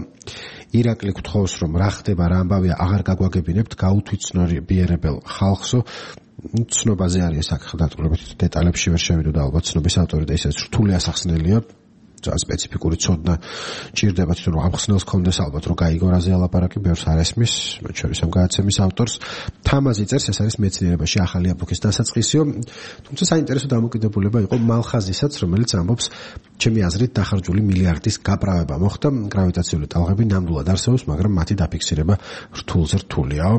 ირაკლი გთხოვს, რომ რა ხდება, რა ამბავია, აღარ გაგვაგებინებთ, გაუთვითცნობიერებელ ხალხსო. ცნობაზე არის საკითხი დაწვრილებით, დეტალებში ვერ შევიდო და ალბათ ცნობის ავტორი და ისიც რთული ასახსნელია. ძალიან სპეციფიკური ცოდნა ჭირდება თვითონ რომ ამხსნელს კონდეს ალბათ რომ გაიგო რაზე ალაპარაკი, ბევრს არ ესმის, მათ შორის ამ გადაცემის ავტორს. თამაზი წერს, ეს არის მეცნიერებაში ახალი ეპოქის დასაწყისიო. თუმცა საინტერესო დამოკიდებულება იყო მალხაზისაც, რომელიც ამბობს, ჩემი აზრით დახარჯული მილიარდის გაправება მოხდა, გრავიტაციული ტალღები ნამდვილად არსებობს, მაგრამ მათი დაფიქსირება რთულზე რთულიაო.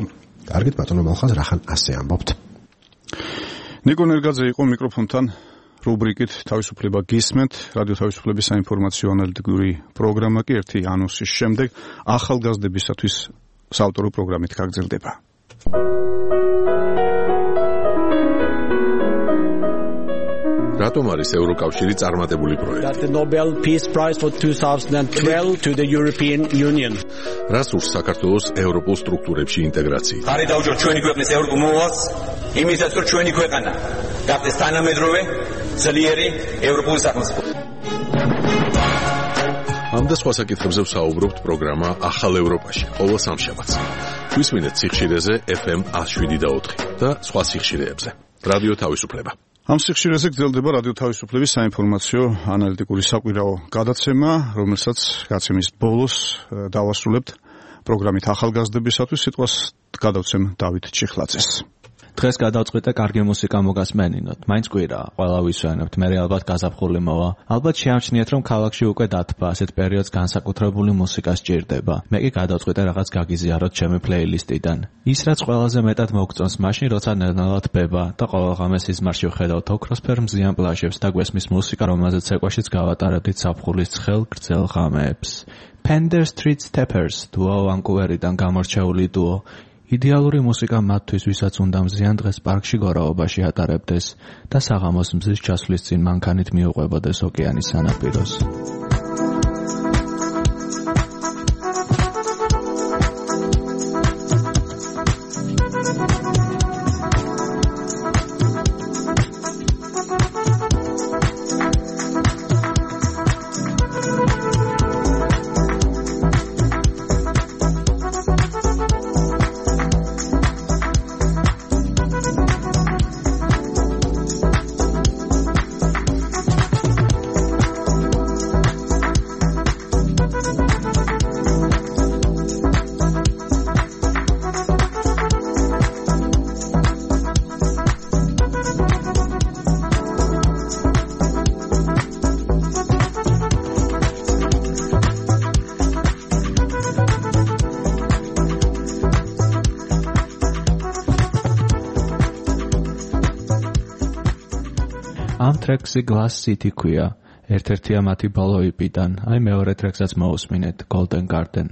კარგით, ბატონო მალხაზ, რახან ასე ამბობთ. ნიკო ნერგაძე იყო მიკროფონთან. რუბრიკით თავისუფლება გისმენთ, რადიო თავისუფლების საინფორმაციო ანალიტიკური პროგრამა კი ერთი ანონსის შემდეგ ახალგაზრდებისათვის საავტორო პროგრამით გაგრძელდება. რატომ არის ევროკავშირი წარმატებული პროექტი? That the Nobel Peace Prize for twenty twelve to the European Union. რას ურს საქართველოს ევროპულ სტრუქტურებში ინტეგრაცია? ხარი დაუჯო ჩვენი ქვეყნის ევროპულ მოვალს, იმისაც რომ ჩვენი ქვეყანა გახდეს თანამედროვე ძლიერი ევროპული სახელმწიფო. ამ და სხვა საკითხებზე ვსაუბრობთ პროგრამა ახალ ევროპაში, ყოველ სამშაბათს. გვისმინეთ სიხშირეზე ეფ ემ one oh seven და ოთხი და სხვა სიხშირეებზე. რადიო თავისუფლება. ამ სიხშირეზე გრძელდება რადიო თავისუფლების საინფორმაციო ანალიტიკური საკვირაო გადაცემა, რომელსაც გაცემის ბოლოს დავასრულებთ პროგრამით ახალგაზრდებისათვის. სიტყვას გადავცემ დავით ჩიხლაძეს. დღეს გადავწყვიტე კარგი მუსიკა მოგასმენინოთ. მაინც კვირაა, ყველა ვისვენებთ, მე ალბათ გაზაფხული მოვა. ალბათ შეამჩნიეთ, რომ ქალაქში უკვე დათბა, ასეთ პერიოდს განსაკუთრებული მუსიკა სჭირდება. მე კი გადავწყვიტე რაღაც გაგიზიაროთ ჩემი პლეილისტიდან. ის რაც ყველაზე მეტად მოგწონს, მაშინ როცა ნელ-ნელა თბება და ყოველ ღამე სიზმარში ვხედავთ ოქროსფერ მზიან პლაჟებს და გვესმის მუსიკა, რომელზეც ეკვაშიც გავატარებდით ზაფხულის ცხელ გრძელ ღამეებს. Pender Street Steppers დუო ვანკუვერიდან გამორჩეული დუო. იდეალური მუსიკა მათთვის, ვისაც უნდა მზიან დღეს პარკში გორაობაში ატარებდეს და საღამოს მზის ჩასვლის წინ მანქანით მიუყვებოდეს ოკეანის სანაპიროს. ამ ტრექსი Glass City ქვია. ერთ-ერთია მათი ბოლო იპიდან. აი მეორე ტრეკსაც მოусმინეთ, Golden Garden.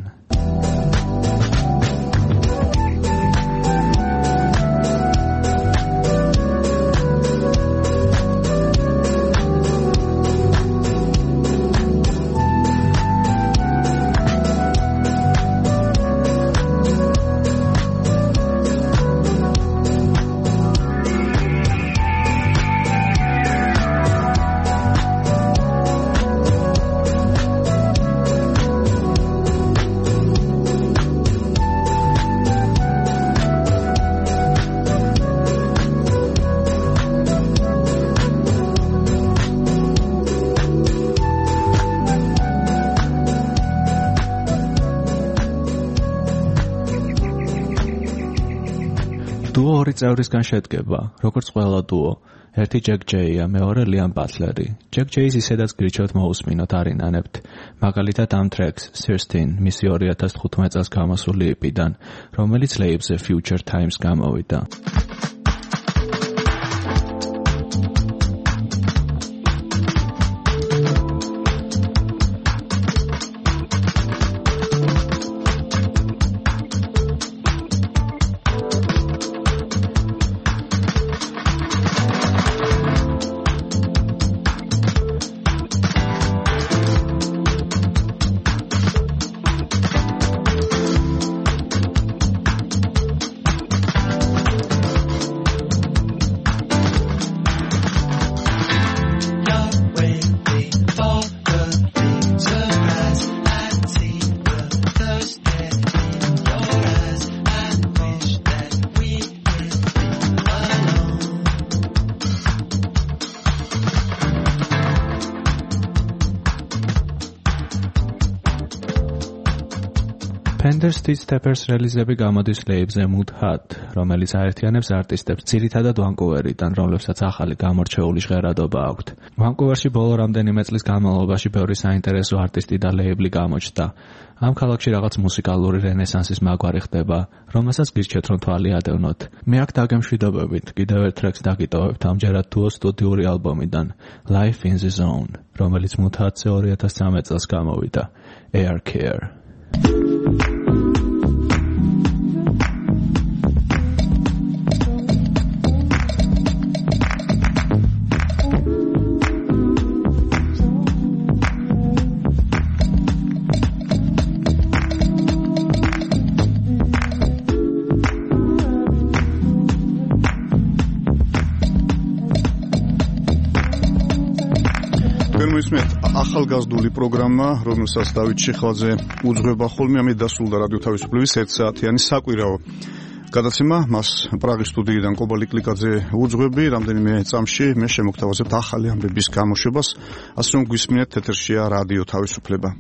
დუო ორი წევრისგან შედგება, როგორც ყველა დუო. ერთი ჯეკ ჯეია, მეორე ლიამ ბატლერი. ჯეკ ჯეის ისედაც გრიჩოთ მოусმინოთ არინანებთ. მაგალითად ამ ტრეკს thirteen მისი ორი ათას თხუთმეტ წელს გამოსული იპიდან, რომელიც ლეიბლზე Future Times გამოვიდა. Pender Street Steppers რელიზები გამოდის ლეიბლზე Mood Hut, რომელიც აერთიანებს არტისტებს ძირითადად ვანკუვერიდან, რომლებსაც ახალი გამორჩეული ჟღერადობა აქვთ. ვანკუვერში ბოლო რამდენიმე წლის განმავლობაში ბევრი საინტერესო არტისტი და ლეიბლი გამოჩნდა. ამ ქალაქში რაღაც მუსიკალური რენესანსის მაგვარი ხდება, რომელსაც გირჩევთ რომ თვალი ადევნოთ. მე აქ დაგემშვიდობებით, კიდევ ერთ ტრეკს დაგიტოვებთ ამჯერად დუო სტუდიური ალბომიდან Life in the Zone, რომელიც Mood Hut-ზე ორი ათას ცხრამეტ წელს გამოვიდა. Air Care. ახალგაზრდული პროგრამა, რომელსაც დავით ჩიხლაძე უძღვება ხოლმე, ამით დასრულდა რადიო თავისუფლების ერთ საათიანი საკვირაო გადაცემა მას პრაღის სტუდიიდან კობა ლიკლიკაძე უძღვები, რამდენიმე წამში მე შემოგთავაზებთ ახალი ამბების გამოშვებას, ასე რომ გვისმინეთ ეთერშია რადიო თავისუფლება.